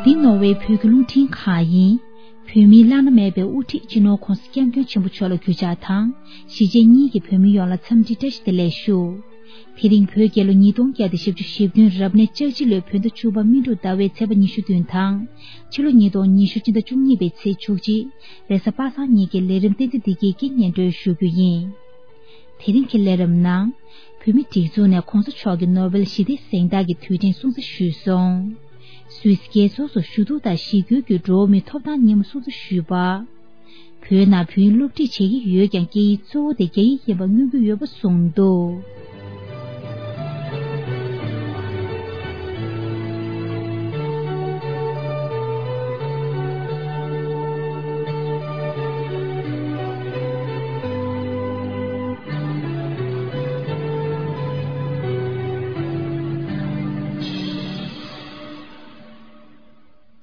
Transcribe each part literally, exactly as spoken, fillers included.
འདི་ནོར་ཝེ་བོད་ཀྱི་རླུང་འཕྲིན་ཁང་ཡིན། བོད་མིའི་བླ་ན་མེད་པའི་དབུ་ཁྲིད་སྤྱི་ནོར་༧གོང་ས་༧སྐྱབས་མགོན་ཆེན་པོ་མཆོག་ལ་གུས་ཕྱག་དང་། གཞིས་བྱེས་གཉིས་ཀྱི་བོད་མི་ཡོངས་ལ་འཚམས་འདྲི་བཀྲ་ཤིས་བདེ་ལེགས་ཞུ། དེ་རིང་བོད་རྒྱལ་ལོ་ཉིས་སྟོང་བརྒྱ་དང་བཞི་བཅུ་ཞེ་བདུན་རབ་གནས་ལྕགས་བྱི་ལོའི་བོད་ཟླ་བཅུ་པ་སྨིན་དྲུག་ཟླ་བའི་ཚེས་པ་ཉི་ཤུ་བདུན་དང་། ཕྱི་ལོ་ཉིས་སྟོང་ཉི་ཤུ་སྤྱི་ཟླ་བཅུ་གཉིས་པའི་ཚེས་བཅུ་གཅིག་རེས་གཟའ་པ་སངས་ཉིན་གྱི་ལས་རིམ་བསྟན་འཛིན་བདེ་སྐྱིད་ཀྱིས་སྙན་སྒྲོན་ཞུ་རྒྱུ་ཡིན། དེ་རིང་གི་ལས་རིམ་ནང་། བོད་མིའི་སྒྲིག་འཛུགས་ནས་༧གོང་ས་མཆོག་གི་ནོ་བེལ་ཞི་བདེའི་གཟེངས་རྟགས་ཀྱི་དུས་དྲན་སྲུང་བརྩི་ཞུས་སོང་། སུད་སི་རྒྱལ་ཚོགས་སུ་ཞུ་གཏུག་དང་གཞིས་བསྐྱོད་ཀྱི་འགྲོ་བ་མིའི་ཐོབ་ཐང་ཉིན་མོ་སྲུང་བརྩི་ཞུས་པ། བོད་ནང་བོད་ཡིག་སློབ་ཁྲིད་བྱེད་ཀྱི་ཡོད་ཀྱང་སྐད་ཡིག་གཙོ་བོ་དེ་རྒྱ་ཡིག་ཡིན་པ་མངོན་གྱི་ཡོད་པ་གསུངས་འདུག་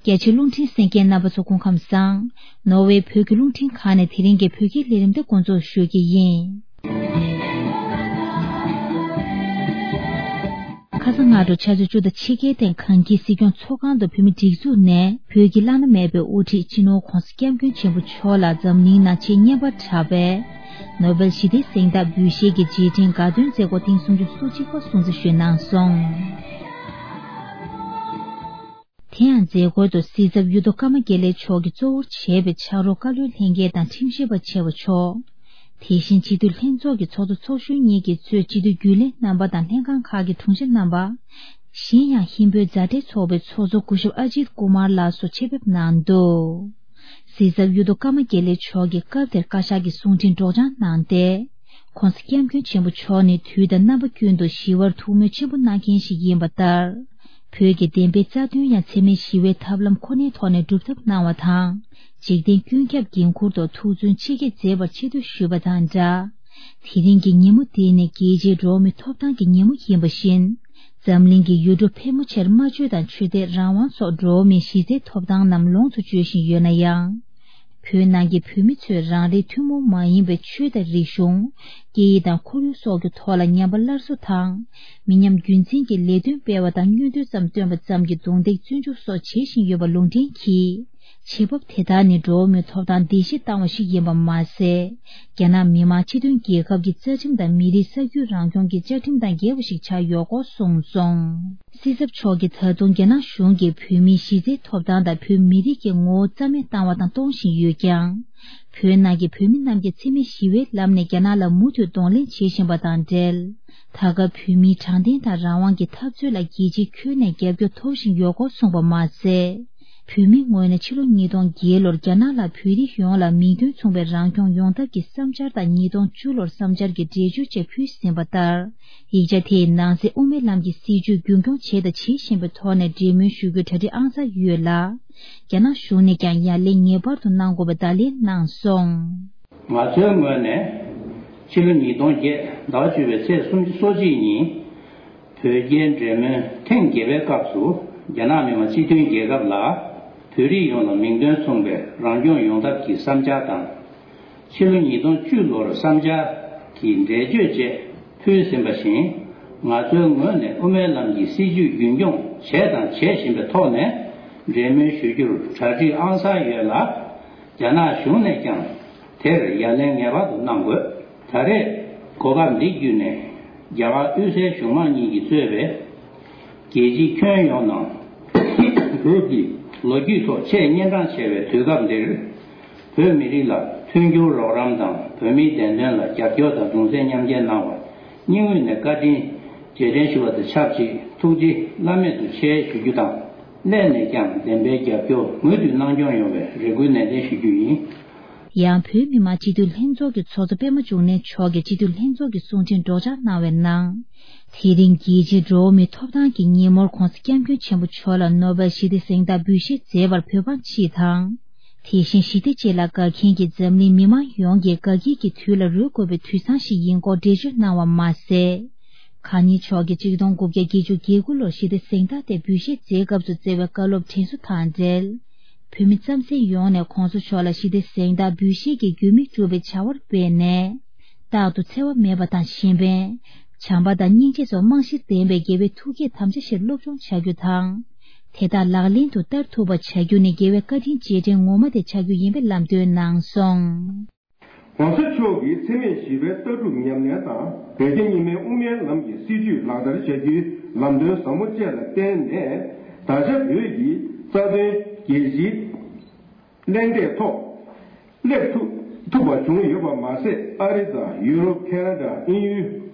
རྒྱ་ཆེའི་རླུང་འཕྲིན་གསན་མཁན་རྣམ་པ་ཚོ་སྐུ་ཁམས་བཟང་། ནོར་ཝེ་བོད་ཀྱི་རླུང་འཕྲིན་ཁང་ནས་དེ་རིང་གི་བོད་སྐད་ལས་རིམ་འདི་འགོ་འཛུགས་ཞུ་གི་ཡིན། ཁ་སང་སྔ་དྲོ་ཆུ་ཚོད་བཅུ་དང་ཕྱེད་ཀའི་སྟེང་གངས་སྐྱིད་སྲིད་སྐྱོང་ཚོགས་ཁང་དུ་བོད་མིའི་སྒྲིག་འཛུགས་ནས་བོད་ཀྱི་བླ་ན་མེད་པའི་དབུ་ཁྲིད་སྤྱི་ནོར་༧གོང་ས་༧སྐྱབས་མགོན་ཆེན་པོ་མཆོག་ལ་འཛམ་གླིང་ནང་ཆེས་སྙན་པར་གྲགས་པའི་ནོ་བེལ་ཞི་བདེའི་གཟེངས་རྟགས་འབུལ་བཞེས་ཀྱི་རྗེས་དྲན་དགའ་སྟོན་མཛད་སྒོ་ཐེངས་སུམ་ཅུ་སོ་གཅིག་པ་སྲུང་བརྩི་ཞུས་གནང་སོང་། དེ་ཡང་མཛད་སྒོའི་ཐོག་སྲིད་ཚབ་གཡུ་ཐོག་ཀརྨ་དགེ་ལེགས་མཆོག་གིས་གཙོ་བོར་བྱས་པའི་ཕྱག་རོགས་བཀའ་བློན་ལྷན་རྒྱས་དང་ཁྲིམས་ཞིབ་པ་ཆེ་བ་མཆོག་དེ་བཞིན་སྤྱི་འཐུས་ལྷན་ཚོགས་ཀྱི་ཚོགས་གཙོ་ཚོགས་གཞོན་གཉིས་ཀྱིས་གཙོས་སྤྱི་འཐུས་རྒྱུན་ལས་རྣམ་པ་དང་ལྷན་ཁང་ཁག་གི་དྲུང་ཆེ་རྣམ་པ། གཞན་ཡང་ཧིན་བོད་མཛའ་འབྲེལ་ཚོགས་པའི་ཚོགས་གཙོ་སྐུ་ཞབས་ཨ་ཇིད་ཀུ་མར་ལགས་སོགས་ཆེད་ཕེབས་གནང་འདུག་སྲིད་ཚབ་གཡུ་ཐོག་ཀརྨ་དགེ་ལེགས་མཆོག་གིས་སྐབས་དེར་བཀའ་ཤག་གི་གསུང་འཕྲིན་སྒྲོག་སྦྱང་གནང་སྟེ། ྋགོང་ས་ྋསྐྱབས་མགོན་ཆེན་པོ་མཆོག་ནི་དུས་དང་རྣམ་པ་ཀུན་ཏུ་ཞི་བར་ཐུགས་སྨོན་ཆེན་པོ་གནང་མཁན་ཞིག་ཡིན་པ་ལྟར། བོད་ཀྱི་བདེན་པའི་རྩ་དོན་ཡང་འཚེ་མེད་ཞི་བའི་ཐབས་ལམ་ཁོ་ནའི་ཐོག་ནས་སྒྲུབ་ཐབས་གནང་བ་དང་། འཇིག་རྟེན་ཀུན་ཁྱབ་འགན་འཁུར་ཐོག་ཐུགས་བརྩོན་ཆེ་བསྐྱེད་མཛད་པར་ཆེ་བསྟོད་ཞུས་པ་དང་སྦྲགས། དེ་རིང་གི་ཉིན་མོ་འདི་ནི་རྒྱལ་སྤྱིའི་འགྲོ་བ་མིའི་ཐོབ་ཐང་གི་ཉིན་མོ་ཡིན་པ་བཞིན། འཛམ་གླིང་གི་ཡུལ་གྲུ་ཕལ་མོ་ཆེར་སྨྲ་བརྗོད་དང་ཆོས་དད་རང་དབང་སོགས་འགྲོ་བ་མིའི་གཞི་རྩའི་ཐོབ་ཐང་རྣམས་ལོངས་སུ་སྤྱོད་བཞིན་ཡོད་ན་ཡང་། བོད་ནང་གི་བོད་མི་ཚོས་རང་རེའི་ཐུན་མོང་མ་ཡིན་པའི་ཆོས་དང་རིག་གཞུང་། སྐད་ཡིག་དང་ཁོར་ཡུག་སོགས་ཀྱི་ཐོག་ལ་ཉམས་པ་སླར་གསོ་དང་། མི་ཉམས་རྒྱུན་འཛིན་གྱི་ལས་དོན་སྤེལ་བ་དང་། བསྙོན་འདོན་ཙམ་བཏོན་པ་ཙམ་གྱིས་རྡུང་རྡེག་བཙོན་འཇུག་སོགས་བྱེད་བཞིན་ཡོད་པ་ལུང་འདྲེན་གྱིས། བྱེད་བབ་དེ་དག་ནི་འགྲོ་བ་མིའི་ཐོབ་ཐང་བརྡལ་བཤིག་བཏང་བ་ཞིག་ཡིན་པ་མ་ཟད། རྒྱ་ནག་མི་དམངས་སྤྱི་མཐུན་རྒྱལ་ཁབ་ཀྱི་རྩ་ཁྲིམས་དང་མི་རིགས་ས་རྒྱུད་རང་སྐྱོང་གི་བཅའ་ཁྲིམས་དང་འགལ་བ་ཞིག་ཆགས་ཡོད་སྐོར་གསུངས་སོང་། སྲིད་ཚབ་མཆོག་གིས་ད་དུང་རྒྱ་ནག་གཞུང་གིས་བོད་མིའི་གཞི་རྩའི་ཐོབ་ཐང་དང་བོད་མི་རིགས་ཀྱི་ངོ་བོ་རྩ་མེད་བཏང་བ་དང་གཏོང་བཞིན་ཡོད་ཀྱང་། བོད་ནང་གི་བོད་མི་རྣམས་ཀྱིས་འཚེ་མེད་ཞི་བའི་ལམ་ནས་རྒྱ་ནག་ལ་མུ་མཐུད་གདོང་ལེན་བྱེད་བཞིན་པ་དང་འབྲེལ། ད་སྐབས་བོད་མིའི་དྲང་བདེན་དང་རང་དབང་གི་འཐབ་རྩོད་ལ་རྒྱལ་སྤྱིའི་ཁྱོན་ནས་རྒྱབ་སྐྱོར་ཐོབ་བཞིན་ཡོད་སྐོར་གསུངས་པ་མ་ཟད། བོད་མིའི་ངོས་ནས་ཕྱི་ལོ་ཉིས་སྟོང་བརྒྱད་ལོར་རྒྱ་ནག་ལ་བོད་རིགས་ཡོངས་ལ་མིང་དོན་མཚུངས་པའི་རང་སྐྱོང་ཡོང་ཐབས་ཀྱི་བསམ་འཆར་དང་ཉིས་སྟོང་བཅུ་ལོར་བསམ་འཆར་གྱི་འགྲེལ་བརྗོད་བཅས་ཕུལ་ཟིན་པ་ལྟར། ཡིག་ཆ་དེའི་ནང་གསེས་དབུ་མའི་ལམ་གྱི་སྲིད་བྱུས་རྒྱུན་འཁྱོངས་བྱས་དང་བྱེད་བཞིན་པའི་ཐོག་ནས་འབྲེལ་མོལ་ཞུ་རྒྱུའི་གྲ་སྒྲིག་ཨང་གསར་ཡོད་ལ། རྒྱ་ནག་གཞུང་ནས་ཀྱང་ཡ་ལན་ངེས་པར་དུ་གནང་དགོས་པའི་བརྡ་ལན་གནང་སོང་། ང་ཚོའི་ངོས་ནས་ཕྱི་ལོ་ཉིས་སྟོང་བརྒྱད་ཟླ་བ་བཅུ་པའི་ཚེས་སོ་གཅིག་ཉིན། བོད་རྒྱའི་འབྲེལ་མོལ་ཐེངས་བརྒྱད་པའི་སྐབས་སུ། རྒྱ་ནག་མི་དམངས་སྤྱི་མཐུན་རྒྱལ་ཁབ་ལ་བོད་རིགས་ཡོངས་ལ་མིང་དོན་མཚུངས་པའི་རང་སྐྱོང་ཡོང་ཐབས་ཀྱི་བསམ་འཆར་དང་། ཕྱི་ལོ་ཉིས་སྟོང་བཅུ་ལོར་བསམ་འཆར་གྱི་འགྲེལ་བརྗོད་བཅས་ཕུལ་ཟིན་པ་བཞིན། ང་ཚོའི་ངོས་ནས་དབུ་མའི་ལམ་གྱི་སྲིད་བྱུས་རྒྱུན་འཁྱོངས་བྱས་དང་བྱེད་བཞིན་པའི་ཐོག་ནས། འབྲེལ་མོལ་ཞུ་རྒྱུར་གྲ་སྒྲིག་ཨང་གསར་ཡོད་ལ། རྒྱ་ནག་གཞུང་ནས་ཀྱང་། དེར་ཡ་ལན་ངེས་པར་དུ་གནང་དགོས། ད་རེས་གོ་སྐབས་འདི་བརྒྱུད་ནས། རྒྱ་གར་དབུས་སའི་གཞུང་མང་གཉིས་ཀྱིས་གཙོས་པའི་རྒྱལ་སྤྱིའི་ཁྱོན་ཡོངས་ནང་བོད་ཀྱི་ལོ་རྒྱུས་ཐོག་ཆེས་གཉན་འཕྲང་ཆེ་བའི་དུས་སྐབས་འདིར། བོད་མི་རིགས་ལ་མཐུན་འགྱུར་རོགས་རམ་དང་། བོད་མིའི་བདེན་དོན་ལ་རྒྱབ་སྐྱོར་དང་གདུང་སེམས་མཉམ་སྐྱེད་གནང་བར་སྙིང་དབུས་ནས་བཀའ་དྲིན་རྗེས་དྲན་ཞུ་བ་དང་ཆབས་ཅིག་ཐུགས་རྗེ་བླ་མེད་དུ་ཆེ་ཞུ་རྒྱུ་དང་། སླད་ནས་ཀྱང་བདེན་པའི་རྒྱབ་སྐྱོར་མུ་མཐུད་གནང་སྐྱོང་ཡོང་བའི་རེ་སྐུལ་ནན་ཏན་ཞུ་རྒྱུ་ཡིན། ཡང་བོད་མི་མང་སྤྱི་འཐུས་ལྷན་ཚོགས་ཀྱི་ཚོགས་གཙོ་པད་མ་འབྱུང་གནས་མཆོག་གིས་སྤྱི་འཐུས་ལྷན་ཚོགས་ཀྱི་གསུང་འཕྲིན་སྒྲོག་སྦྱང་གནང་བའི་ནང་། དེ་རིང་རྒྱལ་སྤྱིའི་འགྲོ་བ་མིའི་ཐོབ་ཐང་གི་ཉིན་མོར་༧གོང་ས་༧སྐྱབས་མགོན་ཆེན་པོ་མཆོག་ལ་ནོ་བེལ་ཞི་བདེ་གཟེངས་རྟགས་འབུལ་བཞེས་མཛད་པར་བོད་འབངས་སྤྱི་དང་། དེ་བཞིན་ཞི་བདེ་ཆེད་ལ་དགའ་མཁན་གྱི་འཛམ་གླིང་མི་མང་ཡོངས་ཀྱིས་དགའ་སྐྱིད་ཀྱི་དུས་ལ་རོལ་དགོས་པའི་དུས་བཟང་ཞིག་ཡིན་སྐོར་འགྲེལ་བརྗོད་གནང་བ་མ་ཟད། གང་ཉིད་མཆོག་གིས་ཆིག་སྟོང་དགུ་བརྒྱ་བརྒྱད་ཅུ་གྱ་དགུ་ལོར་ཞི་བདེ་གཟེངས་རྟགས་དེ་འབུལ་བཞེས་མཛད་སྐབས་སུ་བསྩལ་བའི་བཀའ་སློབ་དྲན་གསོ་དང་འབྲེལ། བོད་མི་རྩམ་ཟན་ཡོངས་ནས་༧གོང་ས་མཆོག་ལ་ཞི་བདེ་གཟེངས་རྟགས་འབུལ་བཞེས་ཀྱི་རྒྱུ་མིག་སྒྲུབ་པའི་བྱ་བར་འབད་ནས། རྟག་ཏུ་འཚེ་བ་མེད་པ་དང་གཞན་ཕན། བྱམས་པ་དང་སྙིང་རྗེ་སོགས་རྨང་གཞིར་ལྡན་པའི་དགེ་བའི་ཐུགས་བསྐྱེད་དམ་བཅའ་བཞིར་སློབ་སྦྱོང་བྱ་རྒྱུ་དང་། དེ་དག་ལག་ལེན་དུ་བསྟར་ཐུབ་པ་བྱ་རྒྱུ་ནི་རྒྱལ་བའི་བཀའ་དྲིན་རྗེས་དྲན་ངོ་མ་དེ་ཆགས་རྒྱུ་ཡིན་པའི་ལམ་སྟོན་གནང་སོང་། ༸གོང་ས་མཆོག་གིས་འཚེ་མེད་ཞི་བའི་ལྟ་གྲུབ་ཉམས་ལེན་དང་བོད་རྒྱ་གཉིས་སྨན་དབུ་མའི་ལམ་གྱི་སྲིད་བྱུས་ལག་བསྟར་བྱ་རྒྱུའི་ལམ་སྟོན་ཟབ་མོ་བཅས་ལ་བརྟེན་ནས། ད་ཆ་བོད་ཀྱི་རྩ་དོན་རྒྱལ་སྤྱིའི་གླེང་སྟེགས་ཐོག་སླེབས་ཐུབ་ཐུབ་པ་བྱུང་ཡོད་པ་མ་ཟད། ཨ་རི་དང་ཡུ་རོབ། ཁེ་ན་ཌ། དབྱིན་ཡུལ་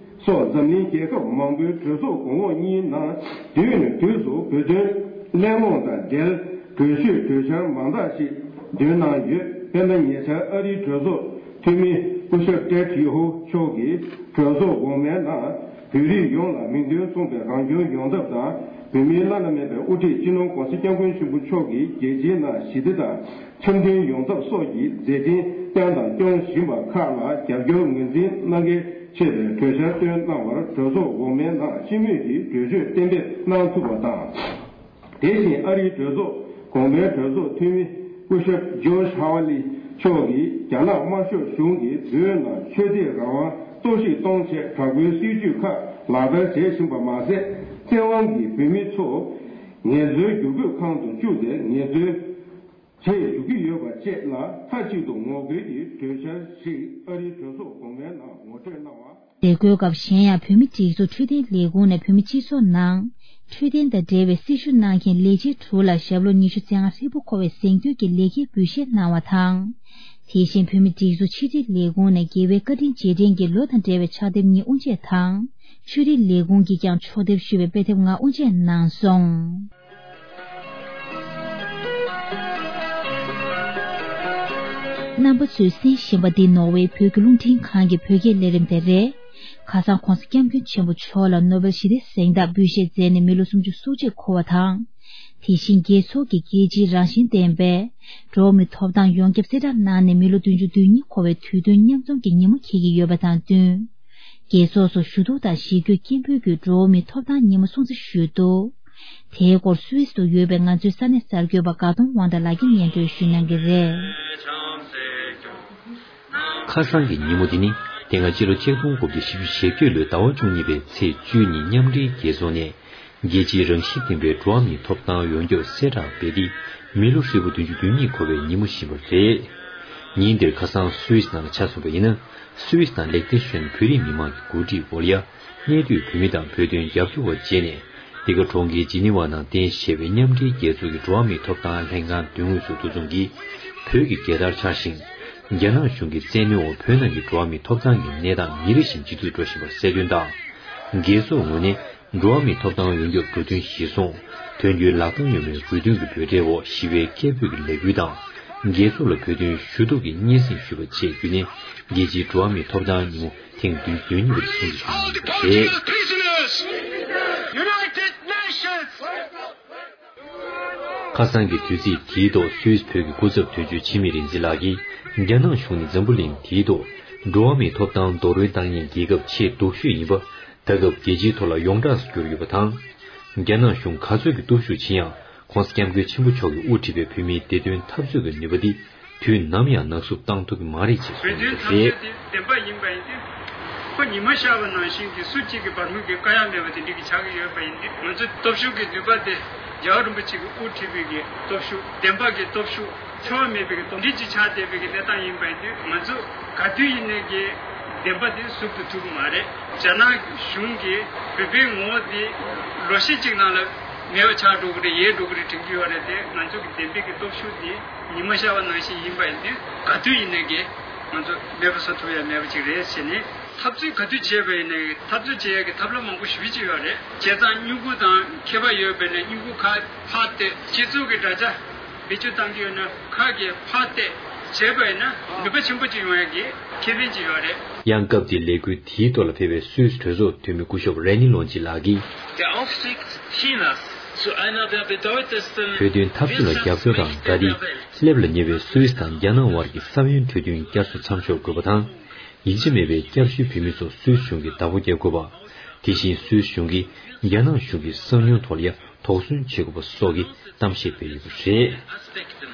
སོགས་འཛམ་གླིང་རྒྱལ་ཁབ་མང་པོའི་གྲོས་ཚོགས་གོང་འོག་གཉིས་ནང་དུས་ནས་དུས་སུ་བོད་དོན་གླེང་སློང་དང་འབྲེལ་གྲོས་ཆོད་གྲོས་འཆར་མང་དག་ཞིག་འདོན་གནང་ཡོད། དཔེར་ན། ཉེ་ཆར་ཨ་རིའི་གྲོས་ཚོགས་འཐུས་མི་སྐུ་ཞབས་ཏྲེད་ཡོ་ཧོ་མཆོག་གིས་གྲོས་ཚོགས་འོག་མའི་ནང་བོད་རིགས་ཡོངས་ལ་མིང་དོན་མཚུངས་པའི་རང་སྐྱོང་ཡོང་ཐབས་དང་། བོད་མིའི་བླ་ན་མེད་པའི་དབུ་ཁྲིད་སྤྱི་ནོར་༸གོང་ས་༸སྐྱབས་མགོན་ཆེན་པོ་མཆོག་གིས་རྒྱལ་སྤྱིའི་ནང་ཞི་བདེ་དང་འཆམ་མཐུན་ཡོང་ཐབས་སོགས་ཀྱི་མཛད་འཕྲིན་བསྐྱངས་དང་སྐྱོང་བཞིན་པ་ཁག་ལ་རྒྱབ་སྐྱོར་ངོས་འཛིན་གནང་གལ་ཆེ་བའི་གྲོས་འཆར་བཏོན་གནང་བར་གྲོས་ཚོགས་འོག་མའི་ནང་སྤྱི་མོས་ཀྱིས་གྲོས་ཆོད་གཏན་འབེབས་གནང་ཐུབ་པ་དང་། དེ་བཞིན་ཨ་རིའི་གྲོས་ཚོགས་གོང་མའི་གྲོས་ཚོགས་འཐུས་མི་སྐུ་ཞབས་ཇོརྗ་ཧ་ཝ་ལི་མཆོག་གིས་རྒྱ་ནག་དམར་ཤོག་གཞུང་གིས་བོད་ནང་ཆོས་དད་རང་དབང་གཏོར་བཤིག་གཏོང་ཆེད་དྲག་པོའི་སྲིད་བྱུས་ཁག་ལག་བསྟར་བྱེད་བཞིན་པ་མ་ཟད། བཙན་དབང་གིས་བོད་མི་ཚོ་ངལ་རྩོལ་བསྒྱུར་བཀོད་ཁང་དུ་བཅུག་སྟེ་ངལ་རྩོལ་བྱེད་བཅུག་གི་ཡོད་པ་བཅས་ལ་མཐའ་གཅིག་ཏུ་ངོ་རྒོལ་གྱི་གྲོས་འཆར་ཞིག་ཨ་རིའི་གྲོས་ཚོགས་གོང་མའི་ནང་ངོ་སྤྲོད་གནང་བ། མཛད་སྒོའི་སྐབས་གཞན་ཡང་བོད་མིའི་སྒྲིག་འཛུགས་འཕྲོད་བསྟེན་ལས་ཁུངས་ནས་བོད་མི་སྤྱི་ཚོགས་ནང་འཕྲོད་བསྟེན་དང་འབྲེལ་བའི་སྲི་ཞུ་གནང་མཁན་ལས་བྱེད་དྲུག་ལ་ཞབས་ལོ་ཉི་ཤུ་རྩ་ལྔ་ཧྲིལ་པོ་འཁོར་བའི་གཟེངས་བསྟོད་ཀྱི་ལེགས་སྐྱེས་འབུལ་བཞེས་གནང་བ་དང་། དེ་བཞིན་བོད་མིའི་སྒྲིག་འཛུགས་ཕྱི་དྲིལ་ལས་ཁུངས་ནས་རྒྱལ་བའི་བཀའ་དྲིན་རྗེས་དྲན་གྱི་ལོ་དང་འབྲེལ་བའི་ཕྱག་དེབ་གཉིས་དབུ་འབྱེད་དང་། ཆོས་རིག་ལས་ཁུངས་ཀྱིས་ཀྱང་ཕྱོགས་བསྡེབས་ཞུས་པའི་དཔེ་དེབ་ལྔ་དབུ་འབྱེད་གནང་སོང་། རྣམ་པ་ཚོས་གསན་བཞིན་པ་འདི་ནོར་ཝེ་བོད་ཀྱི་རླུང་འཕྲིན་ཁང་གི་བོད་སྐད་ལས་རིམ་དེ་རེད། ཁ་སང་གོང་ས་སྐྱབས་མགོན་ཆེན་པོ་མཆོག་ལ་ནོ་བེལ་ཞི་བདེའི་གཟེངས་རྟགས་འབུལ་བཞེས་མཛད་ནས་མི་ལོ་སུམ་ཅུ་སོ་གཅིག་འཁོར་བ་དང་། དེ་བཞིན་རྒྱལ་ཚོགས་ཀྱི་རྒྱལ་སྤྱིའི་རང་བཞིན་ལྡན་པའི་འགྲོ་བ་མིའི་ཐོབ་ཐང་ཡོངས་ཁྱབ་གསལ་བསྒྲགས་གནང་ནས་མི་ལོ་བདུན་ཅུ་དོན་གཉིས་འཁོར་བའི་དུས་སྟོན་མཉམ་འཛོམས་ཀྱི་ཉིན་མོ་འཁེལ་གྱི་ཡོད་པ་དང་བསྟུན། རྒྱལ་ཚོགས་སུ་ཞུ་གཏུག་དང་གཞིས་བསྐྱོད་སྐད་འབོད་ཀྱིས་འགྲོ་བ་མིའི་ཐོབ་ཐང་ཉིན་མོ་སྲུང་བརྩི་ཞུས་འདུག་དེའི་སྐོར་སུད་སི་དུ་ཡོད་པའི་ང་ཚོའི་ས་གནས་གསར་འགོད་པ་དགའ་གདོང་དབང་གྲགས་ལགས་ཀྱིས་སྙན་སྒྲོན་ཞུ་གནང་གི་རེད། ཁ་སང་གི་ཉིན་མོ་འདི་ནི་དེ་སྔ་སྤྱི་ལོ་ཆིག་སྟོང་དགུ་བརྒྱ་བཞི་བཅུ་ཞེ་བརྒྱད་ལོའི་ཟླ་བ་བཅུ་གཉིས་པའི་ཚེས་བཅུ་གཉིས་མཉམ་འབྲེལ་རྒྱལ་ཚོགས་ནས་རྒྱལ་སྤྱིའི་རང་བཞིན་ལྡན་པའི་འགྲོ་བ་མིའི་ཐོབ་ཐང་ཡོངས་ཁྱབ་གསལ་བསྒྲགས་འབད་དེ་མི་ལོ་ཧྲིལ་པོ་བདུན་ཅུ་དོན་གཉིས་འཁོར་བའི་ཉིན་མོ་ཞིག་ཡིན་པ་རེད། ཉིན་འདིར་ཁ་སང་སུད་སི་ནང་ལ་ཆ་མཚོན་པ་ཡིན་ན། སུད་སི་དང་ལེག་ཏེན་ཤོན་བོད་རིགས་མི་མང་གི་འགོ་ཁྲིད་འོག་ལ་ཡ། གནས་སྡོད་བོད་མི་དང་བོད་དོན་རྒྱབ་སྐྱོར་བ་བཅས་ནས། འདི་ག་གྲོང་ཁྱེར་ཇི་ནི་ཝ་ནང་རྟེན་གཞི་བྱས་པའི་མཉམ་འབྲེལ་རྒྱལ་ཚོགས་ཀྱི་འགྲོ་བ་མིའི་ཐོབ་ཐང་ལྷན་ཁང་མདུན་ངོས་སུ་འདུ་འཛོམས་ཀྱིས་བོད་ཀྱི་རྒྱལ་དར་འཕྱར་ཞིང་། རྒྱ་ནག་གཞུང་གི་བཙན་གནོན་འོག་བོད་ནང་གི་འགྲོ་བ་མིའི་ཐོབ་ཐང་གི་གནས་སྟངས་ཉིན་རེ་བཞིན་ཇེ་སྡུག་འགྲོ་བཞིན་པར་གསལ་སྟོན་དང་། རྒྱལ་ཚོགས་ངོས་ནས་འགྲོ་བ་མིའི་ཐོབ་ཐང་ཡོངས་ཁྱབ་འགྲོ་མཐུན་གཞིར་བཟུང་། དོན་འཁྱོལ་ལག་གདང་སྦྱོར་བའི་རྒྱུ་མཚན་གྱི་འབོད་སྒྲའི་འོག་ཞི་བའི་སྐད་འབོད་ཀྱི་ལས་འགུལ་དང་། རྒྱལ་ཚོགས་ལ་བོད་དོན་ཞུ་གཏུག་གི་སྙན་སེང་ཞུས་པ་བཅས་བརྒྱུད་ནས་རྒྱལ་སྤྱིའི་འགྲོ་བ་མིའི་ཐོབ་ཐང་ཉིན་མོ་ཐེངས་བདུན་ཅུ་དོན་གཉིས་པར་སྲུང་བརྩི་ཞུ་གནང་ཡོད་པ་རེད། United Nations! ཁ་སང་གི་དུས་ཚིགས་དེའི་ཐོག་སུད་སི་བོད་ཀྱི་སྐུ་ཚབ་དོན་གཅོད་འཆི་མེད་རིག་འཛིན་ལགས་ཀྱིས་རྒྱ་ནག་གཞུང་ནི་འཛམ་བུ་གླིང་འདིའི་ཐོག་འགྲོ་བ་མིའི་ཐོབ་ཐང་རྡོག་རོལ་བཏང་མཁན་རྒྱལ་ཁབ་ཆེས་སྡུག་ཤོས་ཡིན་པ། ད་སྐབས་རྒྱལ་སྤྱིའི་ཐོག་ལ་ཡོངས་གྲགས་སུ་གྱུར་ཡོད་པ་དང་། རྒྱ་ནག་གཞུང་ག་ཚོད་ཀྱི་སྟོབས་ཤུགས་ཕྱིན་ཡང་། ༸གོང་ས་༸སྐྱབས་མགོན་ཆེན་པོ་མཆོག་གིས་དབུ་ཁྲིད་པའི་བོད་མིའི་བདེ་དོན་འཐབ་རྩོད་ཀྱི་ནུས་པ་འདི་དུས་ནམ་ཡང་ནག་བསུབ་བཏང་ཐུབ་ཀྱི་མ་རེད་ཅེས་གསུངས་ཡོད་པ་རེད། བདེན་པ་ཡིན་པ་ཡིན་ཏེ། ཁོ་ཉི་མ་ཤར་བ་ནང་བཞིན་གྱི་སུ་གཅིག་གི་བར་མོ་གི་དཀའ་ཡག་མེད་པ་དེ་འགྲིག་གི་ཆགས་ཀྱི་ཡོད་པ་ཡིན་ཏེ། ང་ཚོའི་སྟོབས་ཤུགས་ཀྱི་ནུས་པ་དེ་རྒྱལ་བ་རིན་པོ་ཆེ་གིས་དབུ་ཁྲིད་པའི་གི་སྟོབས་ཤུགས། བདེན་པ་གི་སྟོབས་ཤུགས། འཁྲུལ་བ་མེད་པའི་གི་སྟོབས་འདི་གཅིག་ཆགས་བསྡད་པའི་གི་གནས་སྟངས་ཡིན་པ་ཡིན་དུས། ང་ཚོ་ག་དུས་ཡིན་ནའི་གི་བདེན་པ་དེ་ཟུབ་ཏུ་ཐུབ་ཀྱི་མ་རེད། རྒྱ་ནག་གཞུང་གིས་བོད་པའི་ངོ་བོ་དེ་ལོ་ཤས་གཅིག་ནང་ལ་མེད་པ་ཆགས་འགྲོ་གི་རེད། ཡལ་འགྲོ་གི་རེད་དྲན་གྱི་ཡོད་རེད་དེ། ང་ཚོ་གི་བདེན་པའི་གི་སྟོབས་ཤུགས་དེ་ཉི་མ་ཤར་བ་ནང་བཞིན་ཡིན་པ་ཡིན་དུས། ག་དུས་ཡིན་ནའི་གི་ང་ཚོ་མེད་པ་བཟོ་ཐུབ་ཡ་མེད་པ་ཅིག་རེད་ཟེར་ནས། འཐབ་རྩོད་ག་དུས་བྱས་པ་ཡིན་ནའི་འཐབ་རྩོད་བྱེད་ཡ་གི་ཐབས་ལམ་མང་པོ་ཞེ་པོ་ཅིག་ཡོད་རེད། བྱས་ཙང་སྨྱུ་གུ་དང་ཁྱད་པར་ཡོད་པས་ན། སྨྱུ་གུ་ཁ་ཕར་གཏད། སྤྱི་ཚོགས་ཀྱི་དྲ་རྒྱ་བེད་སྤྱོད་བཏང་གི་ཡོད་ན་ཁ་གིས་ཕར་གཏད་བྱས་པ་ཡིན་ན་ནུས་པ་ཆེན་པོ་ཅིག་ཡོང་ཡ་གི་ཁེ་ཕན་ཅིག་ཡོད་རེད། ཡང་སྐབས་དེའི་ལས་འགུལ་དེའི་ཐོག་ལ་ཕེབས་པའི་སུད་སི་གྲོས་ཚོགས་འཐུས་མི་སྐུ་ཞབས་རེ་ནི་ལོན་ཅི་ལགས་ཀྱིས། Der Aufstieg Chinas zu einer der bedeutendsten བོད་དོན་འཐབ་རྩོད་ལ་རྒྱབ་སྐྱོར་དང་འབྲེལ་ཏེ། སླེབས་ལ་ཉེ་བའི་སུད་སི་དང་རྒྱ་ནག་དབར་གྱི་ས་བོན་འཕྲོད་བསྟེན་བསྐྱར་གསོ་མཚམས་འཇོག་དགོས་པ་དང་། ཡིད་ཆེས་མེད་པའི་བསྐྱར་ཞུའི་བོད་མི་ཚོ་སུད་སི་གཞུང་གིས་བདག་པོ་རྒྱག་དགོས་པ། དེ་བཞིན་སུད་སི་གཞུང་གིས་རྒྱ་ནག་གཞུང་གི་གསང་ཉུལ་ཐོག་ལ་ཡ་དོགས་ཟོན་བྱེད་དགོས་པ་སོགས་ཀྱི་གཏམ་བཤད་སྤེལ་ཡོད་པ་རེད། Aspekten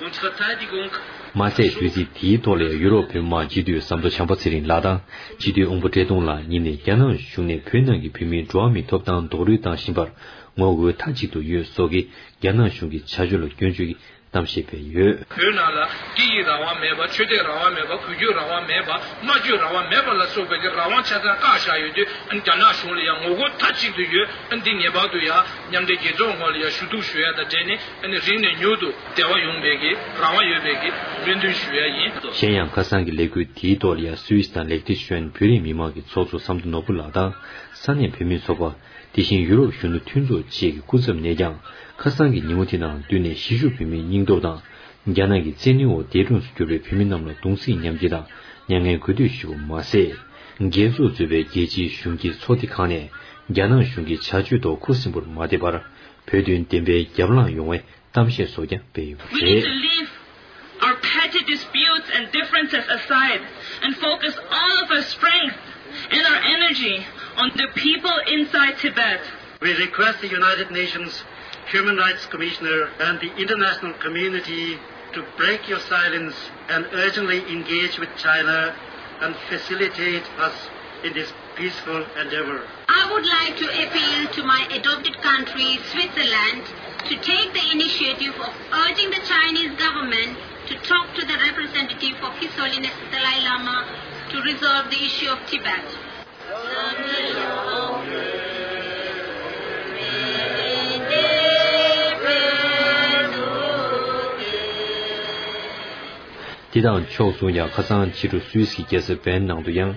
und Verteidigung མ་ཟད། དུས་ཚིགས་དེའི་ཐོག་ལ་ཡ་ཡུ་རོབ་བོད་མི་མང་སྤྱི་འཐུས་ཟམ་གདོང་བྱམས་པ་ཚེ་རིང་ལགས་དང་སྤྱི་འཐུས་ཨོང་པོ་བཀྲས་མཐོང་ལགས་གཉིས་ནས་རྒྱ་ནག་གཞུང་ནས་བོད་ནང་གི་བོད་མིའི་འགྲོ་བ་མིའི་ཐོབ་ཐང་རྡོག་རོལ་བཏང་བཞིན་པར། ངོ་རྒོལ་མཐའ་གཅིག་ཏུ་ཡོད་སོགས་ཀྱི་རྒྱ་ནག་གཞུང་གི་བྱ་སྤྱོད་ལ་སྐྱོན་བརྗོད་ཀྱི་གཏམ་བཤད་སྤེལ་ཡོད། བོད་ནང་ལ་སྐད་ཡིག་རང་དབང་མེད་པ། ཆོས་དད་རང་དབང་མེད་པ། གུས་གུས་རང་དབང་མེད་པ། སྨྲ་བརྗོད་རང་དབང་མེད་པ་ལ་སོགས་པའི་གི་རང་དབང་ཆ་ཚང་བཀག་བཞག་ཡོད་དུས། ཨ་ནི་རྒྱ་ནག་གཞུང་ལ་ཡང་ངོ་རྒོལ་མཐའ་གཅིག་ཏུ་ཡོད། ཨ་ནི་འདི་ངེས་པར་དུ་ཡང་མཉམ་འབྲེལ་རྒྱལ་ཚོགས་ངོས་ལ་ཡང་ཞུ་གཏུག་ཞུ་ཡ་དང་འབྲེལ་ནས། ཨ་ནི་རིང་ནས་མྱུར་དུ་འབྲེལ་བ་ཡོང་བའི་གི་རང་དབང་ཡོད་པའི་གི་སྨོན་འདུན་ཞུ་ཡ་ཡིན། གཞན་ཡང་ཁ་སང་གི་ལས་འགུལ་དེའི་ཐོག་ལ་ཡང་སུད་སི་དང་ལེག་ཏེ་ཤོན་བོད་རིགས་མི་མང་གི་ཚོགས་གཙོ་ཟམ་གདོང་ནོར་བུ་ལགས་དང་ས་གནས་བོད་མིའི་ཚོགས་པ། དེ་བཞིན་ཡུ་རོབ་གཞོན་ནུ་མཐུན་ཚོགས་བཅས་ཀྱི་སྐུ་ཚབ་ནས་ཀྱང་ཁ་སང་གི་ཉིན་མོ་དེ་ནང་བསྟུན་ནས་གཞིས་བཞུགས་བོད་མིའི་སྙིང་སྟོབས་དང་། རྒྱ་ནག་གི་བཙན་གནོན་འོག་འདས་གྲོངས་སུ་གྱུར་པའི་བོད་མི་རྣམས་ལ་གདུང་སེམས་མཉམ་སྐྱེད་དང་མྱ་ངན་གུས་འདུད་ཞུས་པ་མ་ཟད། རྒྱལ་ཚོགས་གཙོས་པའི་རྒྱལ་སྤྱིའི་གཞུང་གི་ཚོགས་སྡེ་ཁག་ནས་རྒྱ་ནག་གཞུང་གི་བྱ་སྤྱོད་ཐོག་ཁུ་སིམ་པོར་མ་བསྡད་པར་བོད་དོན་བདེན་པའི་རྒྱབ་ལངས་ཡོང་བའི་གཏམ་བཤད་སོགས་ཀྱང་སྤེལ་ཡོད་པ་We need to རེད། Leave our petty disputes and differences aside and focus all of our strength and our energy on the people inside Tibet. We request the United Nations Human Rights Commissioner and the international community to break your silence and urgently engage with China and facilitate us in this peaceful endeavor. I would like to appeal to my adopted country, Switzerland, to take the initiative of urging the Chinese government to talk to the representative of His Holiness the Dalai Lama to resolve the issue of Tibet. དེ་དང་ཕྱོགས་མཚུངས་ཀྱང་ཁ་སང་ཕྱི་དྲོ་སུད་སི་གི་རྒྱལ་ས་བན་ནང་དུ་ཡང་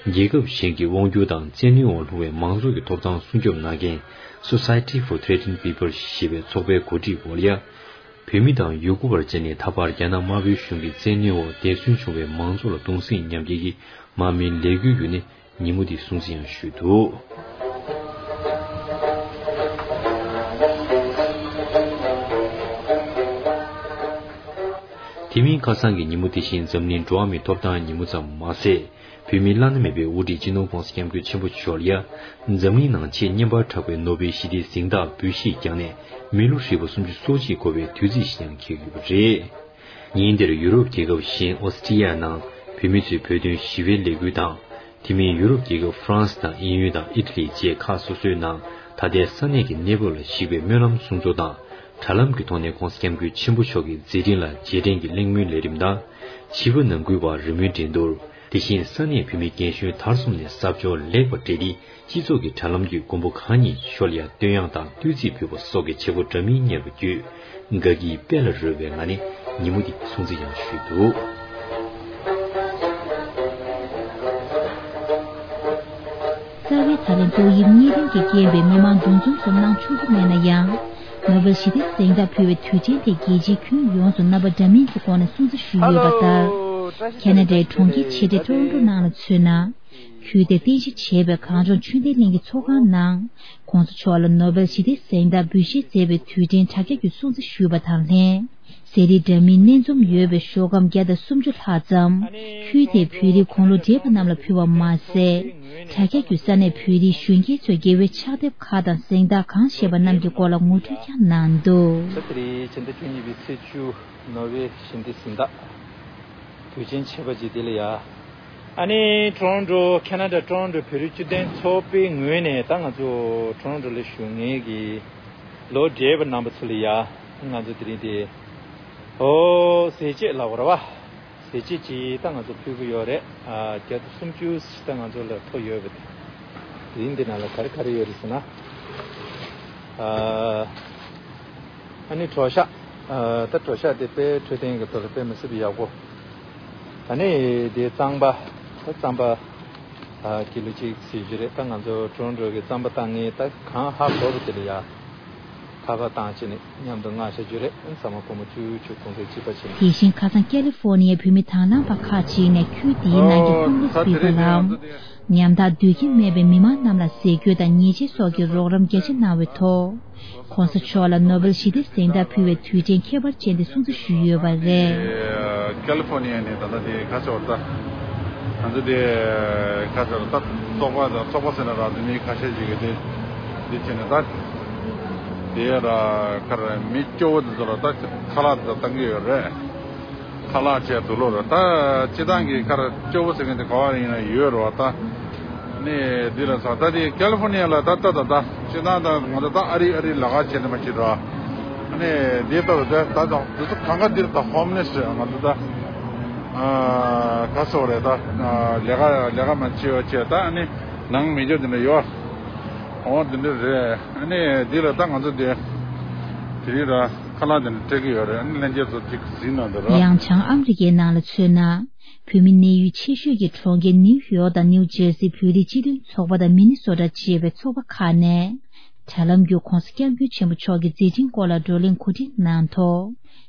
རྒྱལ་ཁབ་གཞན་གྱི་དབང་སྒྱུར་དང་བཙན་གནོན་འོག་ལྷུང་བའི་མང་ཚོགས་ཀྱི་ཐོབ་ཐང་སྲུང་སྐྱོབ་གནང་མཁན་Society for Threatened People ཞེས་པའི་ཚོགས་པའི་གོ་སྒྲིག་འོག་ལ་ཡ། བོད་མི་དང་ཡུ་གུར་བར་བཅས་ནས་ད་བར་རྒྱ་ནག་དམར་པོའི་གཞུང་གི་བཙན་གནོན་འོག་འདས་གསོན་བྱུང་བའི་མང་ཚོགས་ལ་གདུང་སེམས་མཉམ་སྐྱེད་ཀྱི་མར་མེའི་ལས་འགུལ་བརྒྱུད་ནས་ཉིན་མོ་འདི་སྲུང་བརྩི་ཡང་ཞུས་འདུག་དེ་མིན་ཁ་སང་གི་ཉིན་མོ་དེ་བཞིན་འཛམ་གླིང་འགྲོ་བ་མིའི་ཐོབ་ཐང་ཉིན་མོ་ཙམ་མ་ཟད། བོད་མིའི་བླ་ན་མེད་པའི་དབུ་ཁྲིད་སྤྱི་ནོར་༧གོང་ས་༧སྐྱབས་མགོན་ཆེན་པོ་མཆོག་ལ་ཡ། འཛམ་གླིང་ནང་ཆེས་སྙན་པར་གྲགས་པའི་ནོ་བེལ་ཞི་བདེའི་གཟེངས་རྟགས་འབུལ་བཞེས་བསྐྱངས་ནས་མི་ལོ་ཧྲིལ་པོ་སུམ་ཅུ་སོ་གཅིག་འཁོར་བའི་དུས་ཚིགས་ཤིག་ཀྱང་འཁེལ་ཡོད་པ་རེད། ཉིན་དེར་ཡུ་རོབ་རྒྱལ་ཁབ་གཞན་ཨོ་སི་ཀྲི་ཡ་ནང་བོད་མི་ཚོས་བོད་དོན་ཞི་བའི་ལས་འགུལ་དང་། དེ་མིན་ཡུ་རོབ་རྒྱལ་ཁབ་ཧྥ་རན་སི་དང་དབྱིན་ཡུལ་དང་ཨི་ཊ་ལི་བཅས་ཁག་སོ་སོའི་ནང་ད་ལྟའི་ས་གནས་ཀྱི་གནས་བབ་ལ་གཞིགས་པའི་སྨོན་ལམ་སྲུང་ཚོགས་དང་དྲ་ལམ་གྱི་ཐོག་ནས་༧གོང་ས་༧སྐྱབས་མགོན་ཆེན་པོ་མཆོག་གི་མཛད་འཕྲིན་ལ་རྗེས་དྲན་གྱི་གླེང་མོལ་ལས་རིམ་དང་། བྱིས་པ་ནང་ཁུལ་བར་རི་མོའི་འགྲན་བསྡུར། དེ་བཞིན་ས་གནས་བོད་མི་རྒན་གཞོན་མཐར་སོང་ནས་ཟབ་སྦྱོང་ལེགས་པར་སྤྲད་དེ། སྤྱི་ཚོགས་ཀྱི་དྲ་ལམ་བརྒྱུད་མགོན་པོ་གང་ཉིད་མཆོག་ལ་ཡང་བསྟོད་དབྱངས་དང་བསྟོད་ཚིག་ཕུལ་བ་སོགས་ཀྱི་བྱེད་སྒོ་འདྲ་མིན་གཉེར་བ་བརྒྱུད། དགའ་སྐྱིད་དཔལ་ལ་རོལ་བའི་ངང་ནས་ཉིན་མོ་འདི་སྲུང་བརྩི་ཡང་ཞུས་འདུག་རྩ་བའི་ད་ལན་ཏོག་དབྱིབས་གཉན་རིམས་ཀྱིས་རྐྱེན་པས་མི་མང་འདུ་འཛོམས་སུ་གནང་ཆོག་རྒྱུ་མེད་ན་ཡང་། ནོ་བེལ་ཞི་བདེའི་གཟེངས་རྟགས་ཕུལ་བའི་དུས་དྲན་དེ་རྒྱལ་སྤྱིའི་ཁྱོན་ཡོངས་སུ་རྣམ་པ་འདྲ་མིན་གྱི་སྒོ་ནས་སྲུང་བརྩི་ཞུས་ཡོད་པ་ལྟར། ཁེ་ན་ཌའི་གྲོང་ཁྱེར་ཆེ་གྲས་ཊོ་རོན་ཊོ་ནང་ལ་མཚོན་ན། ཁུལ་དེར་རྟེན་གཞི་བྱས་པའི་གངས་ལྗོངས་ཆོས་ལྡན་གླིང་གི་ཚོགས་ཁང་ནང་། ༸གོང་ས་མཆོག་ལ་ནོ་བེལ་ཞི་བདེའི་གཟེངས་རྟགས་འབུལ་བཞེས་མཛད་པའི་དུས་དྲན་དྲ་རྒྱ་བརྒྱུད་སྲུང་བརྩི་ཞུས་པ་དང་ལྷན། ཟས་རིགས་འདྲ་མིན་སྣ་འཛོམས་ཡོད་པའི་ཤོག་སྒམ་བརྒྱ་དང་སུམ་ཅུ་ལྷག་ཙམ། ཁུལ་དེའི་བོད་རིགས་དགུང་ལོ་བགྲེས་པ་རྣམས་ལ་ཕུལ་བ་མ་ཟད། དྲ་རྒྱ་བརྒྱུད་ས་གནས་བོད་རིགས་གཞོན་སྐྱེས་ཚོས་དགེ་བའི་ཕྱག་དེབ་ཁག་དང་གཟེངས་རྟགས་གང་བཞེས་པ་རྣམས་ཀྱི་སྐོར་ལ་ངོ་སྤྲོད་ཀྱང་གནང་འདུག་ད་དེ་རིང་ཕྱི་ཟླ་བཅུ་གཉིས་པའི་ཚེས་བཅུ། ནོ་བེལ་ཞི་བདེའི་གཟེངས་རྟགས་དུས་ཆེན་ཆེ་བ་ཅིག་དེ་ལ་ཡ། ཨ་ནི་ཊོ་རོན་ཊོ་ཁེ་ན་ཌ་ཊོ་རོན་ཊོ་བོད་རིགས་སྤྱི་མཐུན་ཚོགས་པའི་ངོས་ནས་ད་ང་ཚོ་ཊོ་རོན་ཊོ་ལ་བཞུགས་མཁན་གྱི་ལོ་བགྲེས་པ་རྣམ་པ་ཚོ་ལ་ཡ། ང་ཚོ་དེ་རིང་དེ་ཨོ་ཟས་བཅད་ལབ་དགོས་རེད་བ། ཟས་བཅད་ཅིག་ད་ང་ཚོ་ཕུལ་གྱི་ཡོད་རེད། ཨ་བརྒྱ་དང་སུམ་ཅུ་ཞིག་ད་ང་ཚོ་ལ་ཐོབ་ཡོད་པ་དེ། དེ་རིང་འདི་ནང་ལ་ག་རེ་ག་རེ་ཡོད་རེད་ཟེར་ན། ཨ་ཨ་ནི་གྲོ་ཤ། ཨ་ད་གྲོ་ཤ་དེ་དཔེ་འཕྲོད་བསྟེན་གྱི་ཐོག་ལ་དཔེ་མི་སྲིད་པ་ཡག་པོ། ད་ནི་དེ་རྩམ་པ། ད་རྩམ་པ་ཨ་ཀི་ལོ་གཅིག་ཟེར་རྒྱུ་རེད། ད་ང་ཚོ་ཊོ་རོན་ཊོ་གི་རྩམ་པ་བཏང་མཁན་ད་གང་ཧ་གོ་བ་དེ་ལ་ཡ། ཁ་པར་བཏང་བྱས་ནས་མཉམ་དུ་མངགས་བྱ་རྒྱུ་རེད། ཚང་མ་སྒོར་མོ་བཅུ་བཅུ་གོང་ཚད་གཅིག་པ་བྱས་ནས། དེ་བཞིན་ཁ་སང་ཀ་ལི་ཧྥོར་ནི་ཡའི་བོད་མི་དང་བླངས་པ་ཁག་ཅིག་ནས་ཁུལ་འདིའི་ནང་གི་ཧོང་ལི་སི་པི་པལ་ལམ། ཉམ་ཐག་སྡོད་ཁྱིམ་མེད་པའི་མི་མང་རྣམས་ལ་ཟས་གོས་དང་ཉལ་ཆས་སོགས་ཀྱི་རོགས་རམ་རྒྱ་ཆེ་གནང་བའི་ཐོག ༸གོང་ས་མཆོག་ལ་ནོ་བེལ་ཞི་བདེའི་གཟེངས་རྟགས་ཕུལ་བའི་དུས་དྲན་ཁྱད་པར་ཅན་དེ་སྲུང་བརྩི་ཞུས་ཡོད་པ་རེད། ཀ་ལི་ཧྥོར་ནི་ཡ་ནས་ད་ལྟ་དེ་ཁ་ཕྱོགས་ད་ང་ཚོ་དེ་ཁ་ཕྱོགས་ད་ཚོགས་པ་དང་ཚོགས་པ་ཟེར་ན་རག་དེ་མི་ཁ་ཤས་ཅིག་གིས་དེ་དེ་བྱས་ནས་ད་དེ་ར་ཁར་མི་སྐྱོ་བོ་དེ་ཚོ་ལ་ད་ཁ་ལག་དེ་ཚོ་བཏང་གི་ཡོད་རེད། ཁ་ལག་བཅས་དུག་ལོག་རེད། ད་སྤྱི་བཏང་གི་ཁར་སྐྱོ་བོ་ཟེར་མཁན་དེ་ག་བ་ཡིན་ན་ཡོད་རེད་བ་ད། ནས་འདི་ལ་ས་ད་དེ་ཀ་ལི་ཧྥོར་ནི་ཡ་ལ་ད་ལྟ་ད་ལྟ་ཅི་ན་ད་ང་ཚོ་ད་ཨ་རི་ཨ་རི་ལ་ག་བྱེད་ནི་མ་བྱེད་ར། ནས་འདི་ལྟ་ད་ད་ད་འདི་ཚོ་གང་ག་འདིར་ད་ཧོམ་ལེ་སི་ང་ཚོ་ད་ཨ་ག་སོ་རེད་ད་ལས་ཀ་ལས་ཀ་མ་བྱེད་བ་བྱེད་ད་ནི་ནང་མི་འཇོག་འདི་འདྲ་ཡོད། འོ་འདི་འདྲ་རེད། ནས་འདི་ལ་ད་ང་ཚོ་དེ་དེ་རིང་ར་ཁ་ལག་འདི་འདྲ་སྤྲད་ཀྱི་ཡོད་རེད། ཨ་ནི་ལྷན་རྒྱས་ཚོ་ཅིག་གཟིགས་གནང་དང་ར། ཡང་བྱང་ཨ་མི་རི་ཀའི་ནང་ལ་མཚོན་ན། བོད་མི་གནས་ཡུལ་ཆེ་ཤོས་ཀྱི་གྲོང་ཁྱེར་ནིའུ་ཡོག་དང་ནིའུ་ཇེར་སི་བོད་རིགས་སྤྱི་མཐུན་ཚོགས་པ་དང་མི་ནི་སོ་ཊ་ཅེས་པའི་ཚོགས་པ་ཁག་ནས། དྲ་ལམ་བརྒྱུད་༸གོང་ས་༸སྐྱབས་མགོན་ཆེན་པོ་མཆོག་གི་མཛད་འཕྲིན་སྐོར་ལ་བགྲོ་གླེང་གོ་སྒྲིག་གནང་ཐོག་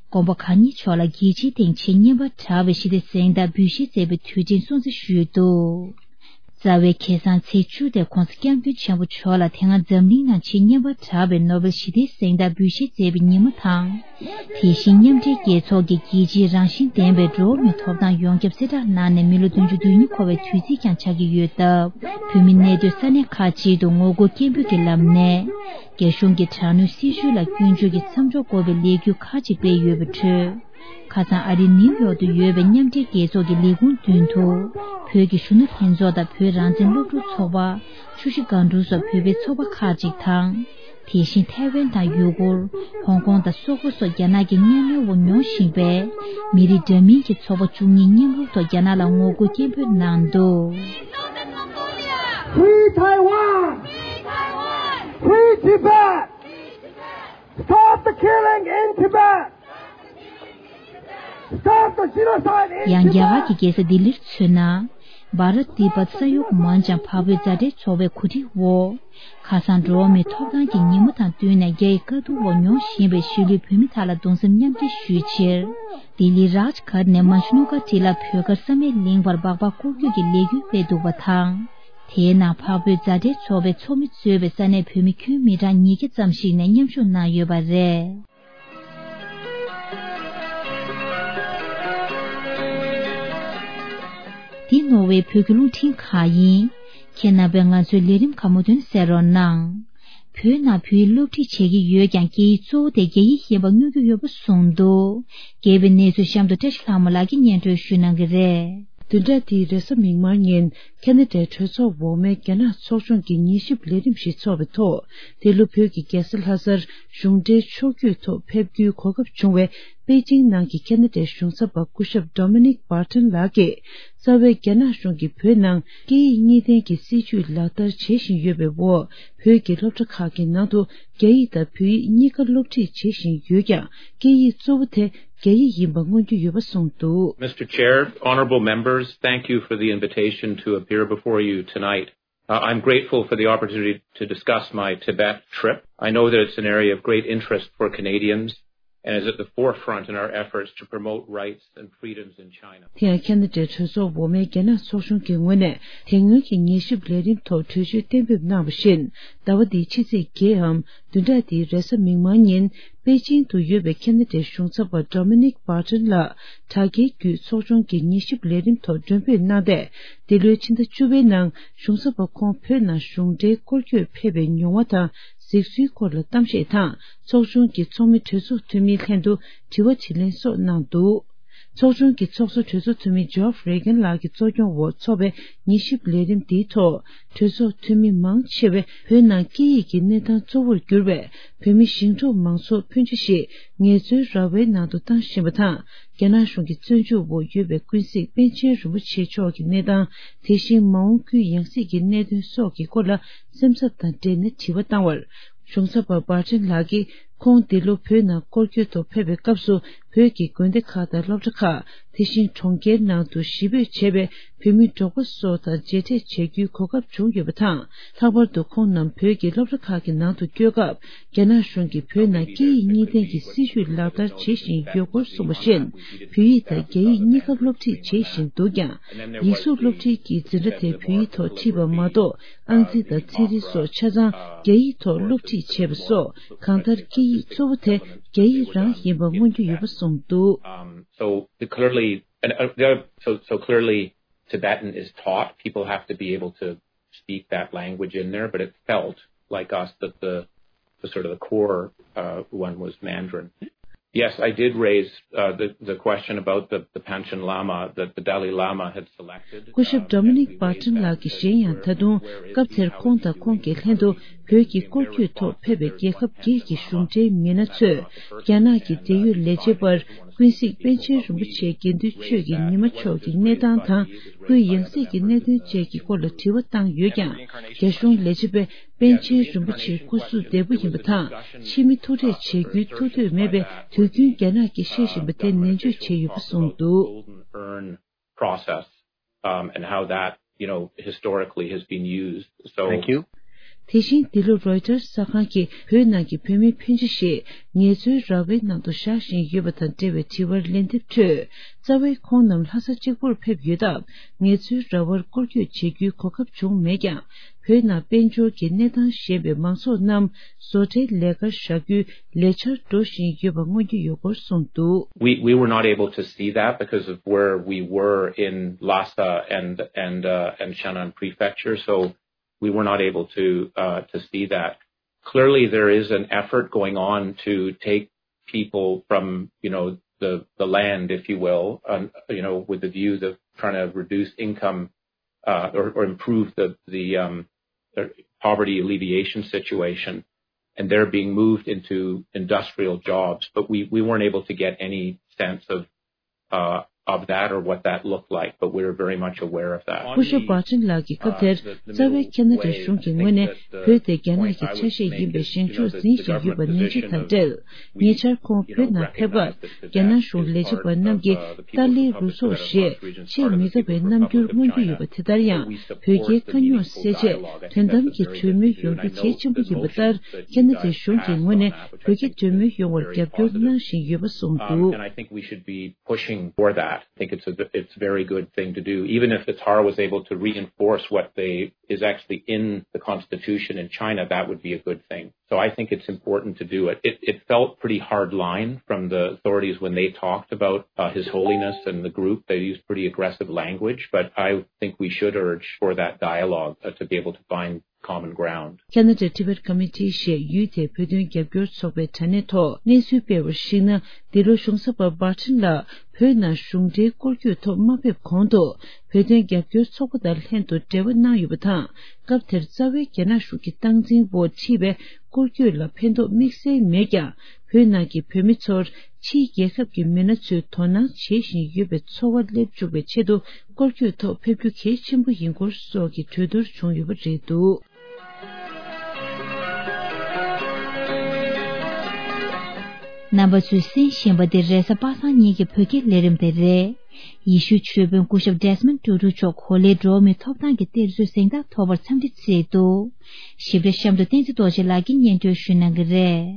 དགོན་པ་ཁག་གཉིས་ཕྱོགས་ལ་རྒྱལ་སྤྱིའི་སྟེང་ཆེས་སྙན་པར་གྲགས་པའི་ཞི་བདེའི་གཟེངས་རྟགས་འབུལ་བཞེས་མཛད་པའི་དུས་དྲན་སྲུང་བརྩི་ཞུས་འདུག་རྩ་བའི་ཁ་སང་ཚེས་བཅུ་དེ་༸གོང་ས་༸སྐྱབས་མགོན་ཆེན་པོ་མཆོག་ལ་དེ་སྔ་འཛམ་གླིང་ནང་ཆེས་སྙན་པར་གྲགས་པའི་ནོ་བེལ་ཞི་བདེའི་གཟེངས་རྟགས་འབུལ་བཞེས་མཛད་པའི་ཉིན་མོ་དང་། དེ་བཞིན་མཉམ་འབྲེལ་རྒྱལ་ཚོགས་ཀྱི་རྒྱལ་སྤྱིའི་རང་བཞིན་ལྡན་པའི་འགྲོ་བ་མིའི་ཐོབ་ཐང་ཡོངས་ཁྱབ་གསལ་བསྒྲགས་གནང་ནས་མི་ལོ་བདུན་ཅུ་དོན་གཉིས་འཁོར་བའི་དུས་ཚིགས་ཀྱང་ཆགས་ཀྱི་ཡོད་སྟབས། བོད་མི་གནས་སྡོད་ས་གནས་ཁག་ཅིག་ཏུ་ངོ་རྒོལ་སྐད་འབོད་ཀྱི་ལམ་ནས། རྒྱ་གཞུང་གི་དྲག་གནོན་སྲིད་བྱུས་ལ་སྐྱོན་བརྗོད་ཀྱི་མཚམས་འཇོག་དགོས་པའི་ལས་འགུལ་ཁག་ཅིག་སྤེལ་ཡོད་པའི་ཁྲོད། ཁ་སང་ཨ་རིའི་ནིའུ་ཡོག་ཏུ་ཡོད་པའི་མཉམ་འབྲེལ་རྒྱལ་ཚོགས་ཀྱི་ལས་ཁུངས་མདུན་དུ། བོད་ཀྱི་གཞོན་ནུ་ལྷན་ཚོགས་དང་བོད་རང་བཙན་སློབ་ཕྲུག་ཚོགས་པ། ཆུ་བཞི་སྒང་དྲུག་སོགས་བོད་པའི་ཚོགས་པ་ཁག་ཅིག་དང་། དེ་བཞིན་ཐའེ་ཝན་དང་ཡུ་གུར། ཧོང་ཀོང་དང་སོག་པོ་སོགས་རྒྱ་ནག་གི་གཉའ་གནོན་འོག་མྱོང་བཞིན་པའི་མི་རིགས་འདྲ་མིན་གྱི་ཚོགས་པ་བཅུ་གཉིས་མཉམ་རུབ་ཐོག་རྒྱ་ནག་ལ་ངོ་རྒོལ་སྐད་འབོད་གནང་འདུག Free Taiwan! Free Tibet! Stop the killing in Tibet! Stop the genocide in Tibet! ཡང་རྒྱ་གར་གྱི་རྒྱལ་ས་ལྡི་ལིར་མཚོན་ན། བྷ་རཏ་ཏི་བྷ་ཏ་ས་ཡོག་མན་ཅང་འཕགས་བོད་མཛའ་འབྲེལ་ཚོགས་པའི་གོ་སྒྲིག་འོག་ཁ་སང་འགྲོ་བ་མིའི་ཐོབ་ཐང་གི་ཉིན་མོ་དང་བསྟུན་ནས་རྒྱ་ཡི་དཀའ་སྡུག་འོག་མྱོང་བཞིན་པའི་གཞིས་ལུས་བོད་མི་དག་ལ་གདུང་སེམས་མཉམ་སྐྱེད་ཞུ་ཕྱིར། ལྡི་ལི་རཱཇ་གྷཊ་ནས་མ་ཇུ་ནོ་གྷ་ཊི་ལ་བོད་སྒར་བསམ་ཡས་གླིང་བར་སྦག་སྦག་སྐོར་སྐྱོད་ཀྱི་ལས་འགུལ་སྤེལ་འདུག་པ་དང་། དེའི་ནང་འཕགས་བོད་མཛའ་འབྲེལ་ཚོགས་པའི་ཚོགས་མི་གཙོས་པའི་ས་གནས་བོད་མི་ཁྱོན་མི་གྲངས་ཉིས་བརྒྱ་ཙམ་ཞིག་ནས་མཉམ་ཞུགས་གནང་ཡོད་པ་རེད། འདི་ནོར་ཝེ་བོད་ཀྱི་རླུང་འཕྲིན་ཁང་ཡིན། ཁྱེད་རྣམ་པས་ང་ཚོའི་ལས་རིམ་ཁག་མུ་མཐུད་གསན་རོགས་གནང་། བོད་ནང་བོད་ཡིག་སློབ་ཁྲིད་བྱེད་ཀྱི་ཡོད་ཀྱང་སྐད་ཡིག་གཙོ་བོ་དེ་རྒྱ་ཡིག་ཡིན་པ་མངོན་གྱི་ཡོད་པ་གསུངས་འདུག་རྒྱས་པའི་གནས་ཚུལ་གཤམ་དུ་བཀྲ་ཤིས་ལྷ་མོ་ལགས་ཀྱིས་སྙན་སྒྲོན་ཞུ་གནང་གི་རེད། བདུན་ཕྲག་འདིའི་རེས་གཟའ་མིག་དམར་ཉིན་ཁ་ན་ཌའི་གྲོས་ཚོགས་འོག་མའི་རྒྱ་ནག་ཚོགས་ཆུང་གི་ཉི་ཤུ་པའི་ལས་རིམ་ཞིག་འཚོགས་པའི་ཐོག་འདི་ལོ་བོད་ཀྱི་རྒྱལ་ས་ལྷ་སར་གཞུང་འབྲེལ་ཕྱོགས་བསྐྱོད་ཐོག་ཕེབས་རྒྱུའི་གོ་སྐབས་བྱུང་བའི་པེ་ཅིང་ནང་གི་ཁ་ན་ཌའི་གཞུང་ཚབ་པ་སྐུ་ཞབས་Dominic Barton་ལགས་ཀྱིས། རྩ་བའི་རྒྱ་ནག་གཞུང་གིས་བོད་ནང་སྐད་ཡིག་གཉིས་ལྡན་གྱི་སྲིད་བྱུས་ལག་བསྟར་བྱེད་བཞིན་ཡོད་པའི་འོག་བོད་ཀྱི་སློབ་གྲྭ་ཁག་གི་ནང་དུ་རྒྱ་ཡིག་དང་བོད་ཡིག་གཉིས་ཀ་སློབ་ཁྲིད་བྱེད་བཞིན་ཡོད་ཀྱང་སྐད་ཡིག་གཙོ་བོ་དེ་རྒྱ་ཡིག་ཡིན་པ་མངོན་རྒྱུ་ཡོད་པ་གསུངས་འདུག Mister Chair, honorable members, thank you for the invitation to appear before you tonight. Uh, I'm grateful for the opportunity to discuss my Tibet trip. I know that it's an area of great interest for Canadians and is at the forefront in our efforts to promote rights and freedoms in China. དེ་ཡང་ཁ་ན་ཌའི་གྲོས་ཚོགས་འོག་མའི་རྒྱ་ནག་ཚོགས་ཆུང་གི་ངོས་ནས་དེ་སྔོན་གྱི་ཉི་ཤུ་པའི་ལས་རིམ་ཐོག་གྲོས་ཆོད་གཏན་འབེབས་གནང་བ་བཞིན་ཟླ་བ་འདིའི་ཕྱི་ཚེས་བརྒྱད་འམ་བདུན་ཕྲག་འདིའི་རེས་གཟའ་མིག་དམར་ཉིན་པེ་ཅིང་དུ་ཡོད་པའི་ཁ་ན་ཌའི་གཞུང་ཚབ་པ་Dominic Barton་ལགས་དྲ་རྒྱའི་བརྒྱུད་ཚོགས་ཆུང་གི་ཉི་ཤུ་པའི་ལས་རིམ་ཐོག་མགྲོན་འབོད་གནང་སྟེ། འདི་ལོའི་ཕྱི་ཟླ་བཅུ་པའི་ནང་གཞུང་ཚབ་པ་ཁོང་བོད་ནང་གཞུང་འབྲེལ་སྐོར་སྐྱོད་ཕེབས་པའི་མྱོང་བ་དང་གཟིགས་ཚུལ་སྐོར་ལ་གཏམ་བཤད་དང་ཚོགས་ཆུང་གི་ཚོགས་མི་གྲོས་ཚོགས་འཐུས་མིའི་ལྷན་དུ་དྲི་བ་དྲིས་ལན་སོགས་གནང་འདུག་ཚོགས་ཆུང་གི་ཚོགས་གཙོ་གྲོས་ཚོགས་འཐུས་མི་Geoff Regan་ལགས་ཀྱི་གཙོ་སྐྱོང་འོག་འཚོགས་པའི་ཉི་ཤུ་པའི་ལས་རིམ་འདིའི་ཐོག་གྲོས་ཚོགས་འཐུས་མི་མང་ཆེ་བས་བོད་ནང་སྐད་ཡིག་གི་གནས་སྟངས་གཙོ་བོར་གྱུར་བའི་བོད་མི་ཞིང་འབྲོག་མང་ཚོགས་ཕོན་ཆེ་ཞིག་ངལ་རྩོལ་ར་བའི་ནང་དུ་བཏང་བཞིན་པ་དང་། རྒྱ་ནག་གཞུང་གི་བཙོན་འཇུག་འོག་ཡོད་པའི་ཀུན་གཟིགས་པཎ་ཆེན་རིན་པོ་ཆེ་མཆོག་གི་གནས་སྟངས། དེ་བཞིན་མ་འོངས་ཁུལ་ཡང་སྲིད་ཀྱི་གནད་དོན་སོགས་ཀྱི་སྐོར་ལ་སེམས་འཚབ་དང་འབྲེལ་ནས་དྲི་བ་བཏང་བར། གཞུང་ཚབ་པ་Barton་ལགས་ཀྱིས་ཁོང་འདི་ལོ་བོད་ནང་སྐོར་སྐྱོད་ཐོག་ཕེབས་པའི་སྐབས་སུ་བོད་ཀྱི་དགོན་སྡེ་ཁག་དང་སློབ་གྲྭ་ཁག་དེ་བཞིན་གྲོང་ཁྱེར་ནང་དུ་གཞིས་སྤོས་བྱས་པའི་བོད་མི་འབྲོག་པ་སོགས་དང་མཇལ་འཕྲད་བྱ་རྒྱུའི་གོ་སྐབས་བྱུང་ཡོད་པ་དང་། ལྷག་པར་དུ་ཁོང་རྣམས་བོད་ཀྱི་སློབ་གྲྭ་ཁག་གི་ནང་དུ་བསྐྱོད་སྐབས། རྒྱ་ནག་གཞུང་གིས་བོད་ནང་སྐད་ཡིག་གཉིས་ལྡན་གྱི་སྲིད་བྱུས་ལག་བསྟར་བྱེད་བཞིན་ཡོད་སྐོར་གསུངས་པ་བཞིན། བོད་ཡིག་དང་རྒྱ་ཡིག་གཉིས་ཀ་སློབ་ཁྲིད་བྱེད་བཞིན་འདུག་ཀྱང་། ཡིག་གཟུགས་སློབ་ཁྲིད་ཀྱི་འཛིན་གྲྭ་དེ་བོད་ཡིག་ཐོག་ཁྲིད་པ་མ་གཏོགས། ཨང་རྩིས་དང་ཚན་རིག་སོགས་ཆ་ཚང་རྒྱ་ཡིག་ཐོག་སློབ་ཁྲིད་བྱས་པ་སོགས། གང་ལྟར་སྐད་ཡིག་གཙོ་བོ་དེ་རྒྱ་ཡིག་རང་ཡིན་པ་མངོན་རྒྱུ་ཡོད་པ་གསུངས་འདུག Um, so the clearly, and, uh, the other, so, so clearly Tibetan is taught. People have to be able to speak that language in there, but it felt like us that the, the sort of the core, uh, one was Mandarin. Yes, I did raise uh, the, the question about the, the Panchen Lama that the Dalai Lama had selected. སྐུ་ཞབས་Dominic Barton ལགས་ཀྱིས་གཞན་ཡང་ད་དུང་སྐབས་དེར་ཁོང་དང་ཁོང་གི་ལྷན་དུ་བོད་ཀྱི་སྐོར་སྐྱོད་ཐོག་ཕེབས་པའི་རྒྱལ་ཁབ་བརྒྱད་ཀྱི་གཞུང་འབྲེལ་མི་སྣ་ཚོས་རྒྱ་ནག་གི་འབྲེལ་ཡོད་ལས་བྱེད་པར་ཀུན་གཟིགས་པཎ་ཆེན་རིན་པོ་ཆེ་དགེ་འདུན་ཆོས་ཀྱི་ཉི་མ་མཆོག་གི་གནས་སྟངས་དང་སྐུའི་ཡང་སྲིད་ཀྱི་གནད་དོན་བཅས་ཀྱི་སྐོར་ལ་དྲི་བ་བཏང་ཡོད་ཀྱང་། རྒྱ་གཞུང་ལས་བྱེད་པས་པཎ་ཆེན་རིན་པོ་ཆེ་སྐུ་གཟུགས་བདེ་པོ་ཡིན་པ་དང་། ཕྱི་མི་ཐུག་འཕྲད་བྱེད་རྒྱུའི་ཐུགས་འདོད་མེད་པས་དུས་རྒྱུན་རྒྱ་ནག་གིས་བཤད་བཞིན་པ་དེ་ནན་བརྗོད་བྱས་ཡོད་པ་གསུངས་འདུག Golden Urn process, um, and how that, you know, historically has been used. So, thank you. དེ་བཞིན་འདི་ལོ་Reuters་གསར་ཁང་གིས་བོད་ནང་གི་བོད་མི་ཕོན་ཆེ་ཞིག་ངལ་རྩོལ་ར་བའི་ནང་དུ་བཞག་བཞིན་ཡོད་པ་དང་འབྲེལ་བའི་དྲི་བར་ལན་འདེབས་ཁྲོད། རྩ་བའི་ཁོང་རྣམས་ལྷ་ས་གཅིག་པུར་ཕེབས་ཡོད་སྟབས། ངལ་རྩོལ་ར་བར་སྐོར་སྐྱོད་བྱེད་རྒྱུའི་གོ་སྐབས་བྱུང་མེད་ཀྱང་། བོད་ནང་དཔལ་འབྱོར་གྱི་གནས་སྟངས་ཞན་པའི་མང་ཚོགས་རྣམས་བཟོ་གྲྭའི་ལས་ཀར་བཞག་རྒྱུའི་ལས་འཆར་འགྲོ་བཞིན་ཡོད་པ་མངོན་གྱི་ཡོད་སྐོར་གསུངས་འདུག We, we were not able to see that because of where we were in Lhasa and, and, uh, and Shannan Prefecture, so we were not able to, uh, to see that. Clearly, there is an effort going on to take people from, you know, the, the land, if you will, um, you know, with the view of trying to reduce income, uh, or, or improve the, the, um, the poverty alleviation situation. And they're being moved into industrial jobs, but we, we weren't able to get any sense of, uh, of that or what that looked like, but we're very much aware of that. སྐུ་ཞབས་Barton་ལགས་ཀྱིས་སྐབས་དེར་རྩ་བའི་ཁ་ན་ཌའི་གཞུང་གི་ངོས་ནས་བོད་དེ་རྒྱ་ནག་གི་ཆ་ཤས་ཡིན་པའི་བཞེངས་ཕྱོགས་འཛིན་བཞིན་ཡོད་པ་ནན་བརྗོད་དང་འབྲེལ། ཉེ་ཆར་ཁོང་བོད་ནང་ཕེབས་སྐབས་རྒྱ་ནག་གཞུང་ལས་བྱེད་པ་རྣམས་ཀྱིས་ཏཱ་ལའི་རུ་ཚོགས་ཞེས་ཆེས་མི་དགའ་བའི་རྣམ་འགྱུར་མངོན་གྱི་ཡོད་པ་དེ་ལྟར་ཡང་བོད་རྒྱའི་དཀའ་རྙོག་སེལ་ཆེད་དོན་དམ་གྱི་གྲོས་མོལ་ཡོང་རྒྱུ་གལ་ཆེན་པོ་ཡིན་པ་ལྟར་ཁ་ན་ཌའི་གཞུང་གི་ངོས་ནས་བོད་རྒྱ་གྲོས་མོལ་ཡོང་བར་རྒྱབ་སྐྱོར་གནང་བཞིན་ཡོད་པ་གསུངས་འདུག And I think we should be pushing for that. I think it's a, it's a very good thing to do, even if the Tsar was able to reinforce what they is actually in the constitution in China, that would be a good thing. So I think it's important to do it. It, it felt pretty hard line from the authorities when they talked about uh, His Holiness and the group. They used pretty aggressive language, but I think we should urge for that dialogue uh, to be able to find common ground. Canada Tibet Committee ཞེས་ཡུལ་དེའི་བོད་དོན་རྒྱབ་སྐྱོར་ཚོགས་པའི་དྲ་གནས་ཐོག་གནས་ཚུལ་སྤེལ་བར་གཞིགས་ན། འདི་ལོ་གཞུང་ས་པ་Barton་ལགས་བོད་ནང་གཞུང་འབྲེལ་སྐོར་སྐྱོད་ཐོག་མ་ཕེབས་གོང་དུ། བོད་དོན་རྒྱབ་སྐྱོར་ཚོགས་པ་དང་ལྷན་དུ་འབྲེལ་བ་གནང་ཡོད་པ་དང་། སྐབས་དེར་རྩ་བའི་རྒྱ་ནག་གཞུང་གི་སྟངས་འཛིན་འོག་ཁྲིད་པའི་སྐོར་སྐྱོད་ལ་ཕན་ཐོགས་དམིགས་བསལ་མེད་ཀྱང་། བོད་ནང་གི་བོད་མི་ཚོར་ཕྱིའི་རྒྱལ་ཁབ་ཀྱི་མི་སྣ་ཚོས་དོ་སྣང་བྱེད་བཞིན་ཡོད་པའི་ཚོར་བ་སླེབས་བཅུག་པའི་ཆེད་དུ་སྐོར་སྐྱོད་ཐོག་ཕེབས་རྒྱུ་གལ་ཆེན་པོ་ཡིན་སྐོར་སོགས་ཀྱི་གྲོས་བསྡུར་བྱུང་ཡོད་པ་རེད་འདུག་རྣམ་པ་ཚོས་གསན་བཞིན་པ་འདི་རེས་གཟའ་པ་སངས་ཉིན་གྱི་བོད་སྐད་ལས་རིམ་དེ་རེད། ཡེ་ཤུའི་ཆོས་དཔོན་སྐུ་ཞབས་Desmond་Tutu་མཆོག་གོ་ལའི་འགྲོ་བ་མིའི་ཐོབ་ཐང་གི་གཏེར་མཛོད་གཟེངས་རྟགས་ཐོབ་པར་འཚམས་འདྲི་བྱས་འདུག་ཞིབ་ཕྲ་གཤམ་དུ་བསྟན་འཛིན་རྡོ་རྗེ་ལགས་ཀྱིས་སྙན་སྒྲོན་ཞུ་གནང་གི་རེད།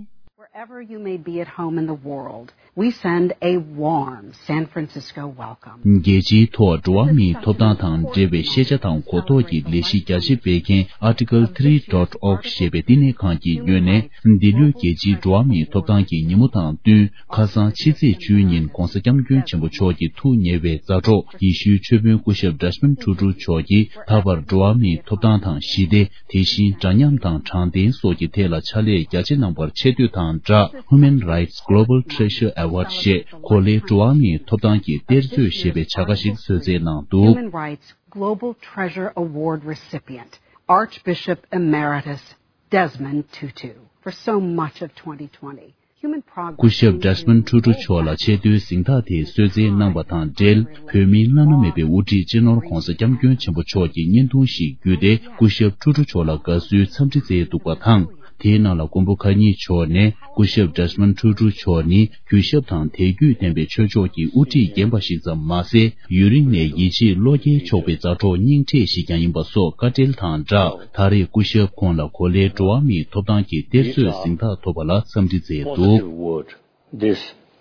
Wherever you may be at home in the world, we send a warm San Francisco welcome. རྒྱལ་སྤྱིའི་ཐོག་འགྲོ་བ་མིའི་ཐོབ་ཐང་དང་འབྲེལ་བའི་ཤེས་བྱ་དང་གོ་རྟོགས་ཀྱི་ལས་གཞི་རྒྱ་ཆེ་སྤེལ་མཁན་Article three dot org ཞེས་པའི་བསྟི་གནས་ཁང་གི་ངོས་ནས། འདི་ལོའི་རྒྱལ་སྤྱིའི་འགྲོ་བ་མིའི་ཐོབ་ཐང་གི་ཉིན་མོ་དང་བསྟུན། ཁ་སང་ཕྱི་ཚེས་བཅུ་ཉིན་༧གོང་ས་༧སྐྱབས་མགོན་ཆེན་པོ་མཆོག་གི་ཐུགས་ཉེ་བའི་མཛའ་གྲོགས་ཡེ་ཤུའི་ཆོས་དཔོན་སྐུ་ཞབས་Desmond Tutu་མཆོག་གིས་ད་བར་འགྲོ་བ་མིའི་ཐོབ་ཐང་དང་ཞི་བདེ། དེ་བཞིན་འདྲ་མཉམ་དང་དྲང་བདེན་སོགས་ཀྱི་ཐད་ལ་ཕྱག་ལས་རྒྱ་ཆེ་གནང་བར་ཆེ་བསྟོད་དང་སྦྲགས། Human Rights Global Treasure Award་ཞེས་གོ་ལའི་འགྲོ་བ་མིའི་ཐོབ་ཐང་གི་གཏེར་མཛོད་ཞེས་པའི་བྱ་དགའ་ཞིག་གསོལ་སྩལ་གནང་འདུག Human Rights Global Treasure Award recipient, Archbishop Emeritus Desmond Tutu, for so much of twenty twenty. Human progress སྐུ་ཞབས་Desmond Tutu་མཆོག་ལ་ཆེས་མཐོའི་གཟེངས་རྟགས་དེ་གསོལ་སྩལ་གནང་བ་དང་འབྲེལ། བོད་མིའི་བླ་ན་མེད་པའི་དབུ་ཁྲིད་སྤྱི་ནོར་༧གོང་ས་༧སྐྱབས་མགོན་ཆེན་པོ་མཆོག་གི་བརྙན་ཐུང་ཞིག་བརྒྱུད་དེ། སྐུ་ཞབས་Tutu་མཆོག་ལ་དགའ་བསུའི་འཚམས་འདྲི་བསྩལ་འདུག་པ་དང་། དེའི་ནང་ལ་མགོན་པོ་མཁའ་འགྱུར་མཆོག་ནས། སྐུ་ཞབས་Desmond Tutu་མཆོག་ནི་གུས་ཞབས་དང་དད་གུས་ལྡན་པའི་ཆོས་ཕྱོགས་ཀྱི་དབུ་ཁྲིད་རྒན་པ་ཞིག་ཙམ་མ་ཟད། ཡུན་རིང་ནས་ཡིད་ཆེས་བློ་སྐྱེད་ཆོག་པའི་མཛའ་གྲོགས་སྙིང་ཁྲེལ་ཞིག་ཀྱང་ཡིན་པ་སོགས་བཀའ་འགྲེལ་དང་སྦྲགས། ད་རེས་སྐུ་ཞབས་ཁོང་ལ་གོ་ལའི་འགྲོ་བ་མིའི་ཐོབ་ཐང་གི་གཏེར་མཛོད་གཟེངས་རྟགས་ཐོབ་པ་ལ་འཚམས་འདྲི་མཛད་འདུག Positive word. This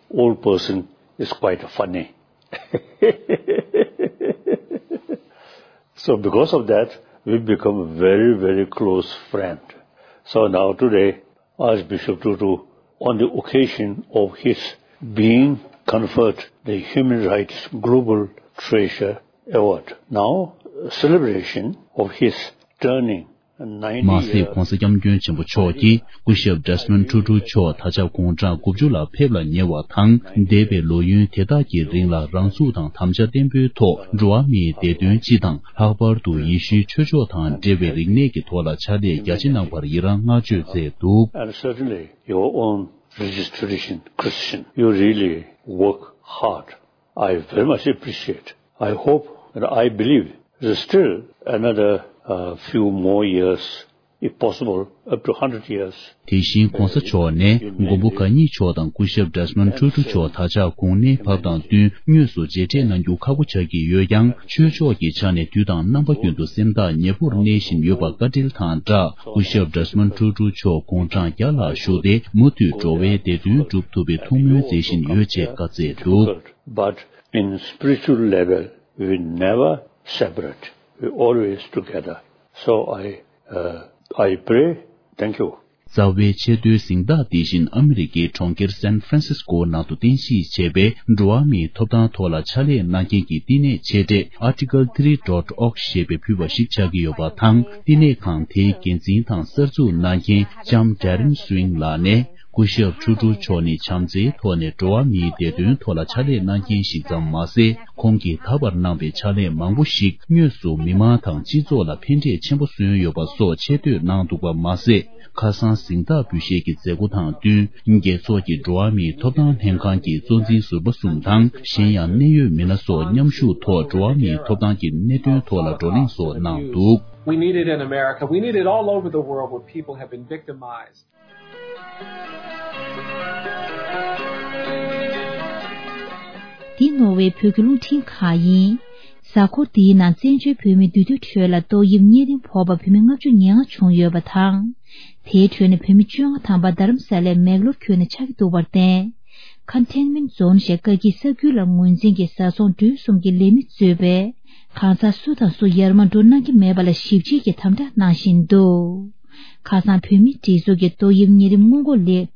old person is quite funny. So because of that, we become a very, very close friend. So now today, Archbishop Tutu, on the occasion of his being conferred the Human Rights Global Treasure Award, now celebration of his turning མ་ཟད་༧གོང་ས་༧སྐྱབས་མགོན་ཆེན་པོ་མཆོག་གིས་སྐུ་ཞབས་Desmond Tutu་མཆོག་ད་ཆ་དགུང་གྲངས་དགུ་བཅུ་ལ་ཕེབས་ལ་ཉེ་བ་དང་། འདས་པའི་ལོ་ཡུན་དེ་དག་གི་རིང་ལ་རང་ཚུགས་དང་དམ་བཅའ་བརྟན་པོའི་ཐོག་འགྲོ་བ་མིའི་བདེ་དོན་སྤྱི་དང་། ལྷག་པར་དུ་ཡེ་ཤུའི་ཆོས་ཕྱོགས་དང་འབྲེལ་བའི་རིག་གནས་ཀྱི་ཐོག་ལ་ཕྱག་ལས་རྒྱ་ཆེ་གནང་བར་ཡི་རང་བསྔགས་བརྗོད་མཛད་འདུག And certainly your own religious tradition, Christian, you really work hard. I very much appreciate. I hope and I believe there's still another uh, few more years, if possible, up to one hundred years. དེ་བཞིན་གོང་ས་མཆོག་ནས་མགོན་པོ་གང་ཉིད་མཆོག་དང་སྐུ་ཞབས་Desmond Tutu་མཆོག་ད་ཆ་གོང་གནས་བབས་དང་བསྟུན་དངོས་སུ་མཇལ་འཕྲད་གནང་རྒྱུ་ཁག་པོ་ཆགས་ཀྱི་ཡོད་ཀྱང་། ཆོས་ཕྱོགས་ཀྱི་ཆ་ནས་དུས་དང་རྣམ་པ་ཀུན་ཏུ་སེམས་ཐག་ཉེ་པོར་གནས་བཞིན་ཡོད་པ་བཀའ་དྲིན་དང་སྦྲགས། སྐུ་ཞབས་Desmond Tutu་མཆོག་དགུང་གྲངས་བརྒྱ་ལ་བཞུགས་ཏེ་མུ་མཐུད་འགྲོ་བའི་བདེ་དོན་སྒྲུབ་ཐུབ་པའི་ཐུགས་སྨོན་མཛད་བཞིན་ཡོད་ཅེས་བཀའ་སྩལ་འདུག But in spiritual level, we never separate. We always together. So I, uh, I pray. Thank you. རྩ་བའི་ཆེས་མཐོའི་གཟེངས་རྟགས་འདི་བཞིན་ཨ་མི་རི་ཀའི་གྲོང་ཁྱེར་San Francisco་ནང་དུ་རྟེན་གཞི་བྱས་པའི་འགྲོ་བ་མིའི་ཐོབ་ཐང་ཐོག་ལ་ཕྱག་ལས་གནང་མཁན་གྱི་བསྟི་གནས་ཆེ་གྲས་article three dot org་ཞེས་པས་ཕུལ་བ་ཞིག་ཆགས་ཀྱི་ཡོད་པ་དང་། བསྟི་གནས་ཁང་དེའི་འགན་འཛིན་དང་གསར་འཛུགས་གནང་མཁན་ལྕམ་Darren Swing་ལགས་ནས། སྐུ་ཞབས་ཁྲུ་ཁྲུ་མཆོག་ནི་བྱམས་བརྩེའི་ཐོག་ནས་འགྲོ་བ་མིའི་བདེ་དོན་ཐོག་ལ་ཕྱག་ལས་གནང་མཁན་ཞིག་ཙམ་མ་ཟད། ཁོང་གིས་ད་བར་གནང་བའི་ཕྱག་ལས་མང་པོ་ཞིག་དངོས་སུ་མི་མང་དང་སྤྱི་ཚོགས་ལ་ཕན་འབྲས་ཆེན་པོ་སོན་ཡོད་པ་སོགས་ཆེ་བསྟོད་གནང་འདུག་པ་མ་ཟད། ཁ་སང་གཟེངས་རྟགས་འབུལ་བཞེས་ཀྱི་མཛད་སྒོ་དང་བསྟུན། རྒྱལ་ཚོགས་ཀྱི་འགྲོ་བ་མིའི་ཐོབ་ཐང་ལྷན་ཁང་གི་གཙོ་འཛིན་ཟུར་པ་གསུམ་དང་། གཞན་ཡང་གནད་ཡོད་མི་སྣ་སོགས་མཉམ་ཞུགས་ཐོག་འགྲོ་བ་མིའི་ཐོབ་ཐང་གི་གནད་དོན་ཐོག་ལ་བགྲོ་གླེང་སོགས་གནང་འདུག We need it in America. We need it all over the world where people have been victimized. འདི་ནོར་ཝེ་བོད་ཀྱི་རླུང་འཕྲིན་ཁང་ཡིན། གཟའ་འཁོར་འདིའི་ནང་བཙན་བྱོལ་བོད་མིའི་འདུས་སྡོད་ཁྲོད་ལ་ཏོག་དབྱིབས་གཉན་རིམས་ཕོག་པ་བོད་མི་ལྔ་བཅུ་ང་ལྔ་བྱུང་ཡོད་པ་དང་། དེའི་ཁྲོད་ནས་བོད་མི་བཅོ་ལྔ་ཐམ་པ་རྡ་རམ་ས་ལའི་མེག་ལོར་ཁུལ་ནས་ཆགས་ཀྱི་འདུག་པར་བརྟེན། Containment Zone་ཞེས་བཀའ་སྐྱིད་ས་ཁུལ་ལ་ངོས་འཛིན་གྱིས་བཟའ་ཚང་འགྲུལ་གསུམ་གྱི་ལས་མི་གཙོས་པའི་གང་ཟག་སུ་དང་སུ་ཡར་མར་འགྲོ་གནང་གི་མེད་པ་ལ་ཞིབ་དཔྱད་ཀྱི་དམ་དྲག་གནང་བཞིན་འདུག་ཁ་སང་བོད་མིའི་སྒྲིག་འཛུགས་ཀྱི་ཏོག་དབྱིབས་གཉན་རིམས་སྔོན་འགོག་ལས།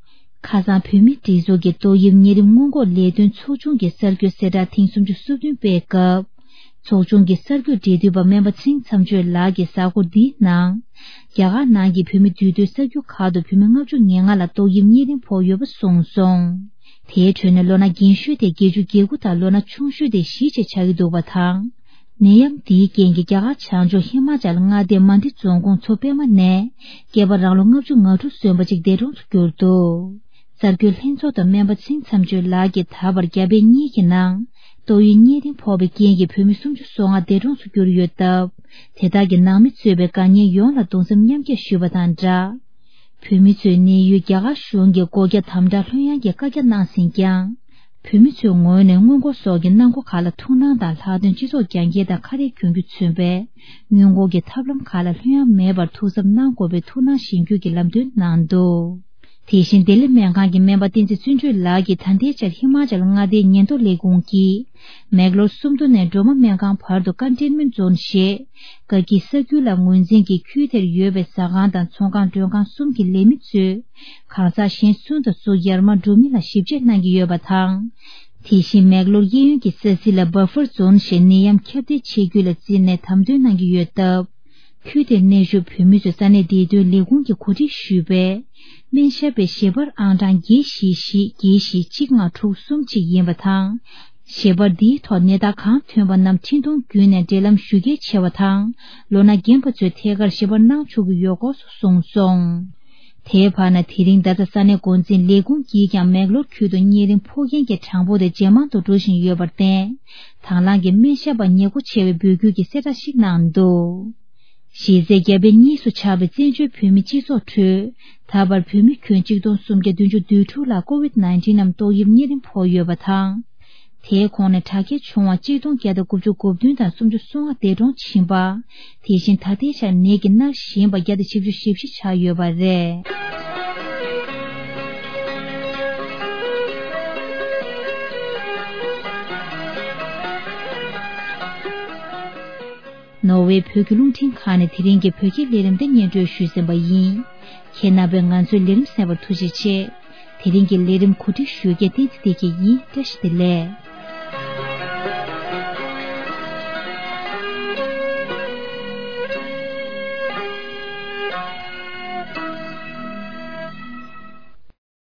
ཁ་སང་བོད་མིའི་སྒྲིག་འཛུགས་ཀྱི་ཏོག་དབྱིབས་གཉན་རིམས་སྔོན་འགོག་ལས་དོན་ཚོགས་ཆུང་གི་གསར་འགོད་གསལ་བསྒྲགས་ཐེངས་སུམ་ཅུ་སོ་བདུན་སྤེལ་སྐབས། ཚོགས་ཆུང་གི་གསར་འགོད་འབྲེལ་མཐུད་པ་སྨན་པ་ཚེ་རིང་མཚམས་གཅོད་ལགས་ཀྱིས་གཟའ་འཁོར་འདིའི་ནང་། རྒྱ་གར་ནང་གི་བོད་མི་འདུས་སྡོད་ས་རྒྱུ་ཁག་ཏུ་བོད་མི་ལྔ་བཅུ་ང་ལྔ་ལ་ཏོག་དབྱིབས་གཉན་རིམས་ཕོག་ཡོད་པ་གསུངས་སོང་། དེའི་ཁྲོད་ནས་ལོ་ན་རྒན་ཤོས་དེ་བརྒྱད་ཅུ་གྱ་དགུ་དང་ལོ་ན་ཆུང་ཤོས་དེ་བཞི་བཅས་ཆགས་ཀྱི་འདུག་པ་དང་། ནད་ཡམས་འདིའི་རྐྱེན་གྱིས་རྒྱ་གར་བྱང་ཕྱོགས་ཧི་མ་ཅལ་མངའ་སྡེའི་མན་ཌི་རྫོང་ཁོངས་མཚོ་པད་མ་ནས་སྐྱེས་པ་རང་ལོ་ལྔ་བཅུ་ང་དྲུག་སོན་པ་གཅིག་འདས་གྲོངས་སུ་གྱུར་འདུག་གསར་འགོད་ལྷན་ཚོགས་དང་སྨན་པ་ཚེ་རིང་མཚམས་གཅོད་ལགས་ཀྱིས་ད་བར་རྒྱ་བལ་གཉིས་ཀྱི་ནང་ཏོག་དབྱིབས་གཉན་རིམས་ཕོག་པའི་རྐྱེན་གྱིས་བོད་མི་སུམ་ཅུ་སོ་ལྔ་འདས་གྲོངས་སུ་གྱུར་ཡོད་སྟབས། དེ་དག་གི་ནང་མི་གཙོས་པའི་དགའ་ཉེ་ཡོངས་ལ་གདུང་སེམས་མཉམ་སྐྱེད་ཞུས་པ་དང་སྦྲགས། བོད་མི་ཚོའི་གནས་ཡུལ་རྒྱ་གར་གཞུང་གིས་སྒོ་རྒྱ་དམ་དྲག་ལྷོད་ཡངས་ཀྱི་བཀའ་རྒྱ་གནང་ཟིན་ཀྱང་། བོད་མི་ཚོའི་ངོས་ནས་སྔོན་འགོག་སོགས་ཀྱི་གནང་སྒོ་ཁག་ལ་ཐུགས་སྣང་དང་ལྷག་དོན་སྤྱི་ཚོགས་རྒྱ་སྐྱེད་དང་ཁ་གཏད་གྱོང་གུན་མཚོན་པའི་སྔོན་འགོག་གི་ཐབས་ལམ་ཁག་ལ་ལྷོད་ཡངས་མེད་པར་ཐུགས་འཚབ་གནང་དགོས་པའི་ཐུགས་སྣང་གཞེན་སྐུལ་གྱི་ལམ་སྟོན་གནང་འདུག་དེ་བཞིན་ལྡི་ལི་སྨན་ཁང་གི་སྨན་པ་བསྟན་འཛིན་བརྩོན་འགྲུས་ལགས་ཀྱིས་ད་ལྟའི་ཆར་ཧི་མ་ཅལ་མངའ་སྡེའི་ཉེན་རྟོག་ལས་ཁུངས་ཀྱིས་མེག་ལོར་སུམ་མདོ་ནས་སྒྲོལ་མ་སྨན་ཁང་བར་དུ་Containment Zone་ཞེས་བཀའ་སྐྱིད་ས་ཁུལ་ལ་ངོས་འཛིན་གྱིས་ཁུལ་དེར་ཡོད་པའི་ཟ་ཁང་དང་ཚོང་ཁང་མགྲོན་ཁང་གསུམ་གྱི་ལས་མི་ཚོས་གང་ཟག་གཞན་སུ་དང་སུ་ཡར་མར་འགྲོ་མིན་ལ་ཞིབ་དཔྱད་གནང་གི་ཡོད་པ་དང་། དེ་བཞིན་མེག་ལོར་གཡས་གཡོན་གྱི་ས་ཚིགས་ལ་Buffer Zone་ཞེས་ནད་ཡམས་ཁྱབ་གདལ་ཆེ་རྒྱུ་ལ་བརྩིས་ནས་དམ་དོན་གནང་གི་ཡོད་སྟབས། ཁུལ་དེར་གནས་བཞུགས་བོད་མི་ཚོས་ས་གནས་བདེ་དོན་ལས་ཁུངས་ཀྱིས་གོ་སྒྲིག་ཞུས་པའི་སྨན་ཞབས་པའི་ཞལ་པར་ཨང་གྲངས་བརྒྱད་བཞི་བཞི་བརྒྱད་བཞི་གཅིག་ལྔ་དྲུག་གསུམ་གཅིག་ཡིན་པ་དང་། ཞལ་པར་འདིའི་ཐོག་ནད་རྟགས་གང་ཐོན་པ་རྣམས་འཕྲིན་གཏོང་བརྒྱུད་ནས་འབྲེལ་ལམ་ཞུ་གལ་ཆེ་བ་དང་། ལོ་ན་རྒན་པ་ཚོས་ཐད་ཀར་ཞལ་པར་གནང་ཆོག་གི་ཡོད་སྐོར་སོགས་གསུངས་སོང་། དེའི་བར་ན་དེ་རིང་ད་ལྟ་ས་གནས་འགོ་འཛིན་ལས་ཁུངས་ཀྱིས་ཀྱང་མེག་ལོར་ཁུལ་དུ་གཉན་རིམས་ཕོག་མཁན་གྱི་གྲངས་འབོར་དེ་ཇེ་མང་དུ་འགྲོ་བཞིན་ཡོད་པར་བརྟེན། དང་བླངས་ཀྱིས་སྨན་ཞབས་པ་ཉེ་མཁོ་ཆེ་བའི་འབོད་སྐུལ་གྱི་གསལ་བསྒྲགས་ཤིག་གནང་འདུག་གཞི་རྩའི་རྒྱ་བལ་གཉིས་སུ་ཆགས་པའི་བཙན་བྱོལ་བོད་མི་སྤྱི་ཚོགས་ཁྲོད། ད་བར་བོད་མི་ཁྱོན་གཅིག་སྟོང་སུམ་བརྒྱ་བདུན་ཅུ་དོན་དྲུག་ལ་COVID nineteen་ནམ་ཏོག་དབྱིབས་གཉན་རིམས་ཕོག་ཡོད་པ་དང་། དེའི་ཁོངས་ནས་དྲག་སྐྱེད་བྱུང་བ་གཅིག་སྟོང་བརྒྱ་དང་དགུ་བཅུ་གོ་བདུན་དང་སུམ་ཅུ་སོ་ལྔ་འདས་གྲོངས་ཕྱིན་པ། དེ་བཞིན་ད་ལྟའི་ཆར་ནད་ཀྱིས་མནར་བཞིན་པ་བརྒྱ་དང་བཞི་བཅུ་ཞེ་བཞི་ཆགས་ཡོད་པ་རེད། ནོར་ཝེ་བོད་ཀྱི་རླུང་འཕྲིན་ཁང་ནས་དེ་རིང་གི་བོད་སྐད་ལས་རིམ་འདི་སྙན་སྒྲོན་ཞུས་ཟིན་པ་ཡིན། ཁྱེད་རྣམ་པས་ང་ཚོའི་ལས་རིམ་གསན་པར་ཐུགས་རྗེ་ཆེ། དེ་རིང་གི་ལས་རིམ་གོ་སྒྲིག་ཞུ་མཁན་བསྟན་འཛིན་བདེ་སྐྱིད་ཡིན། བཀྲ་ཤིས་བདེ་ལེགས།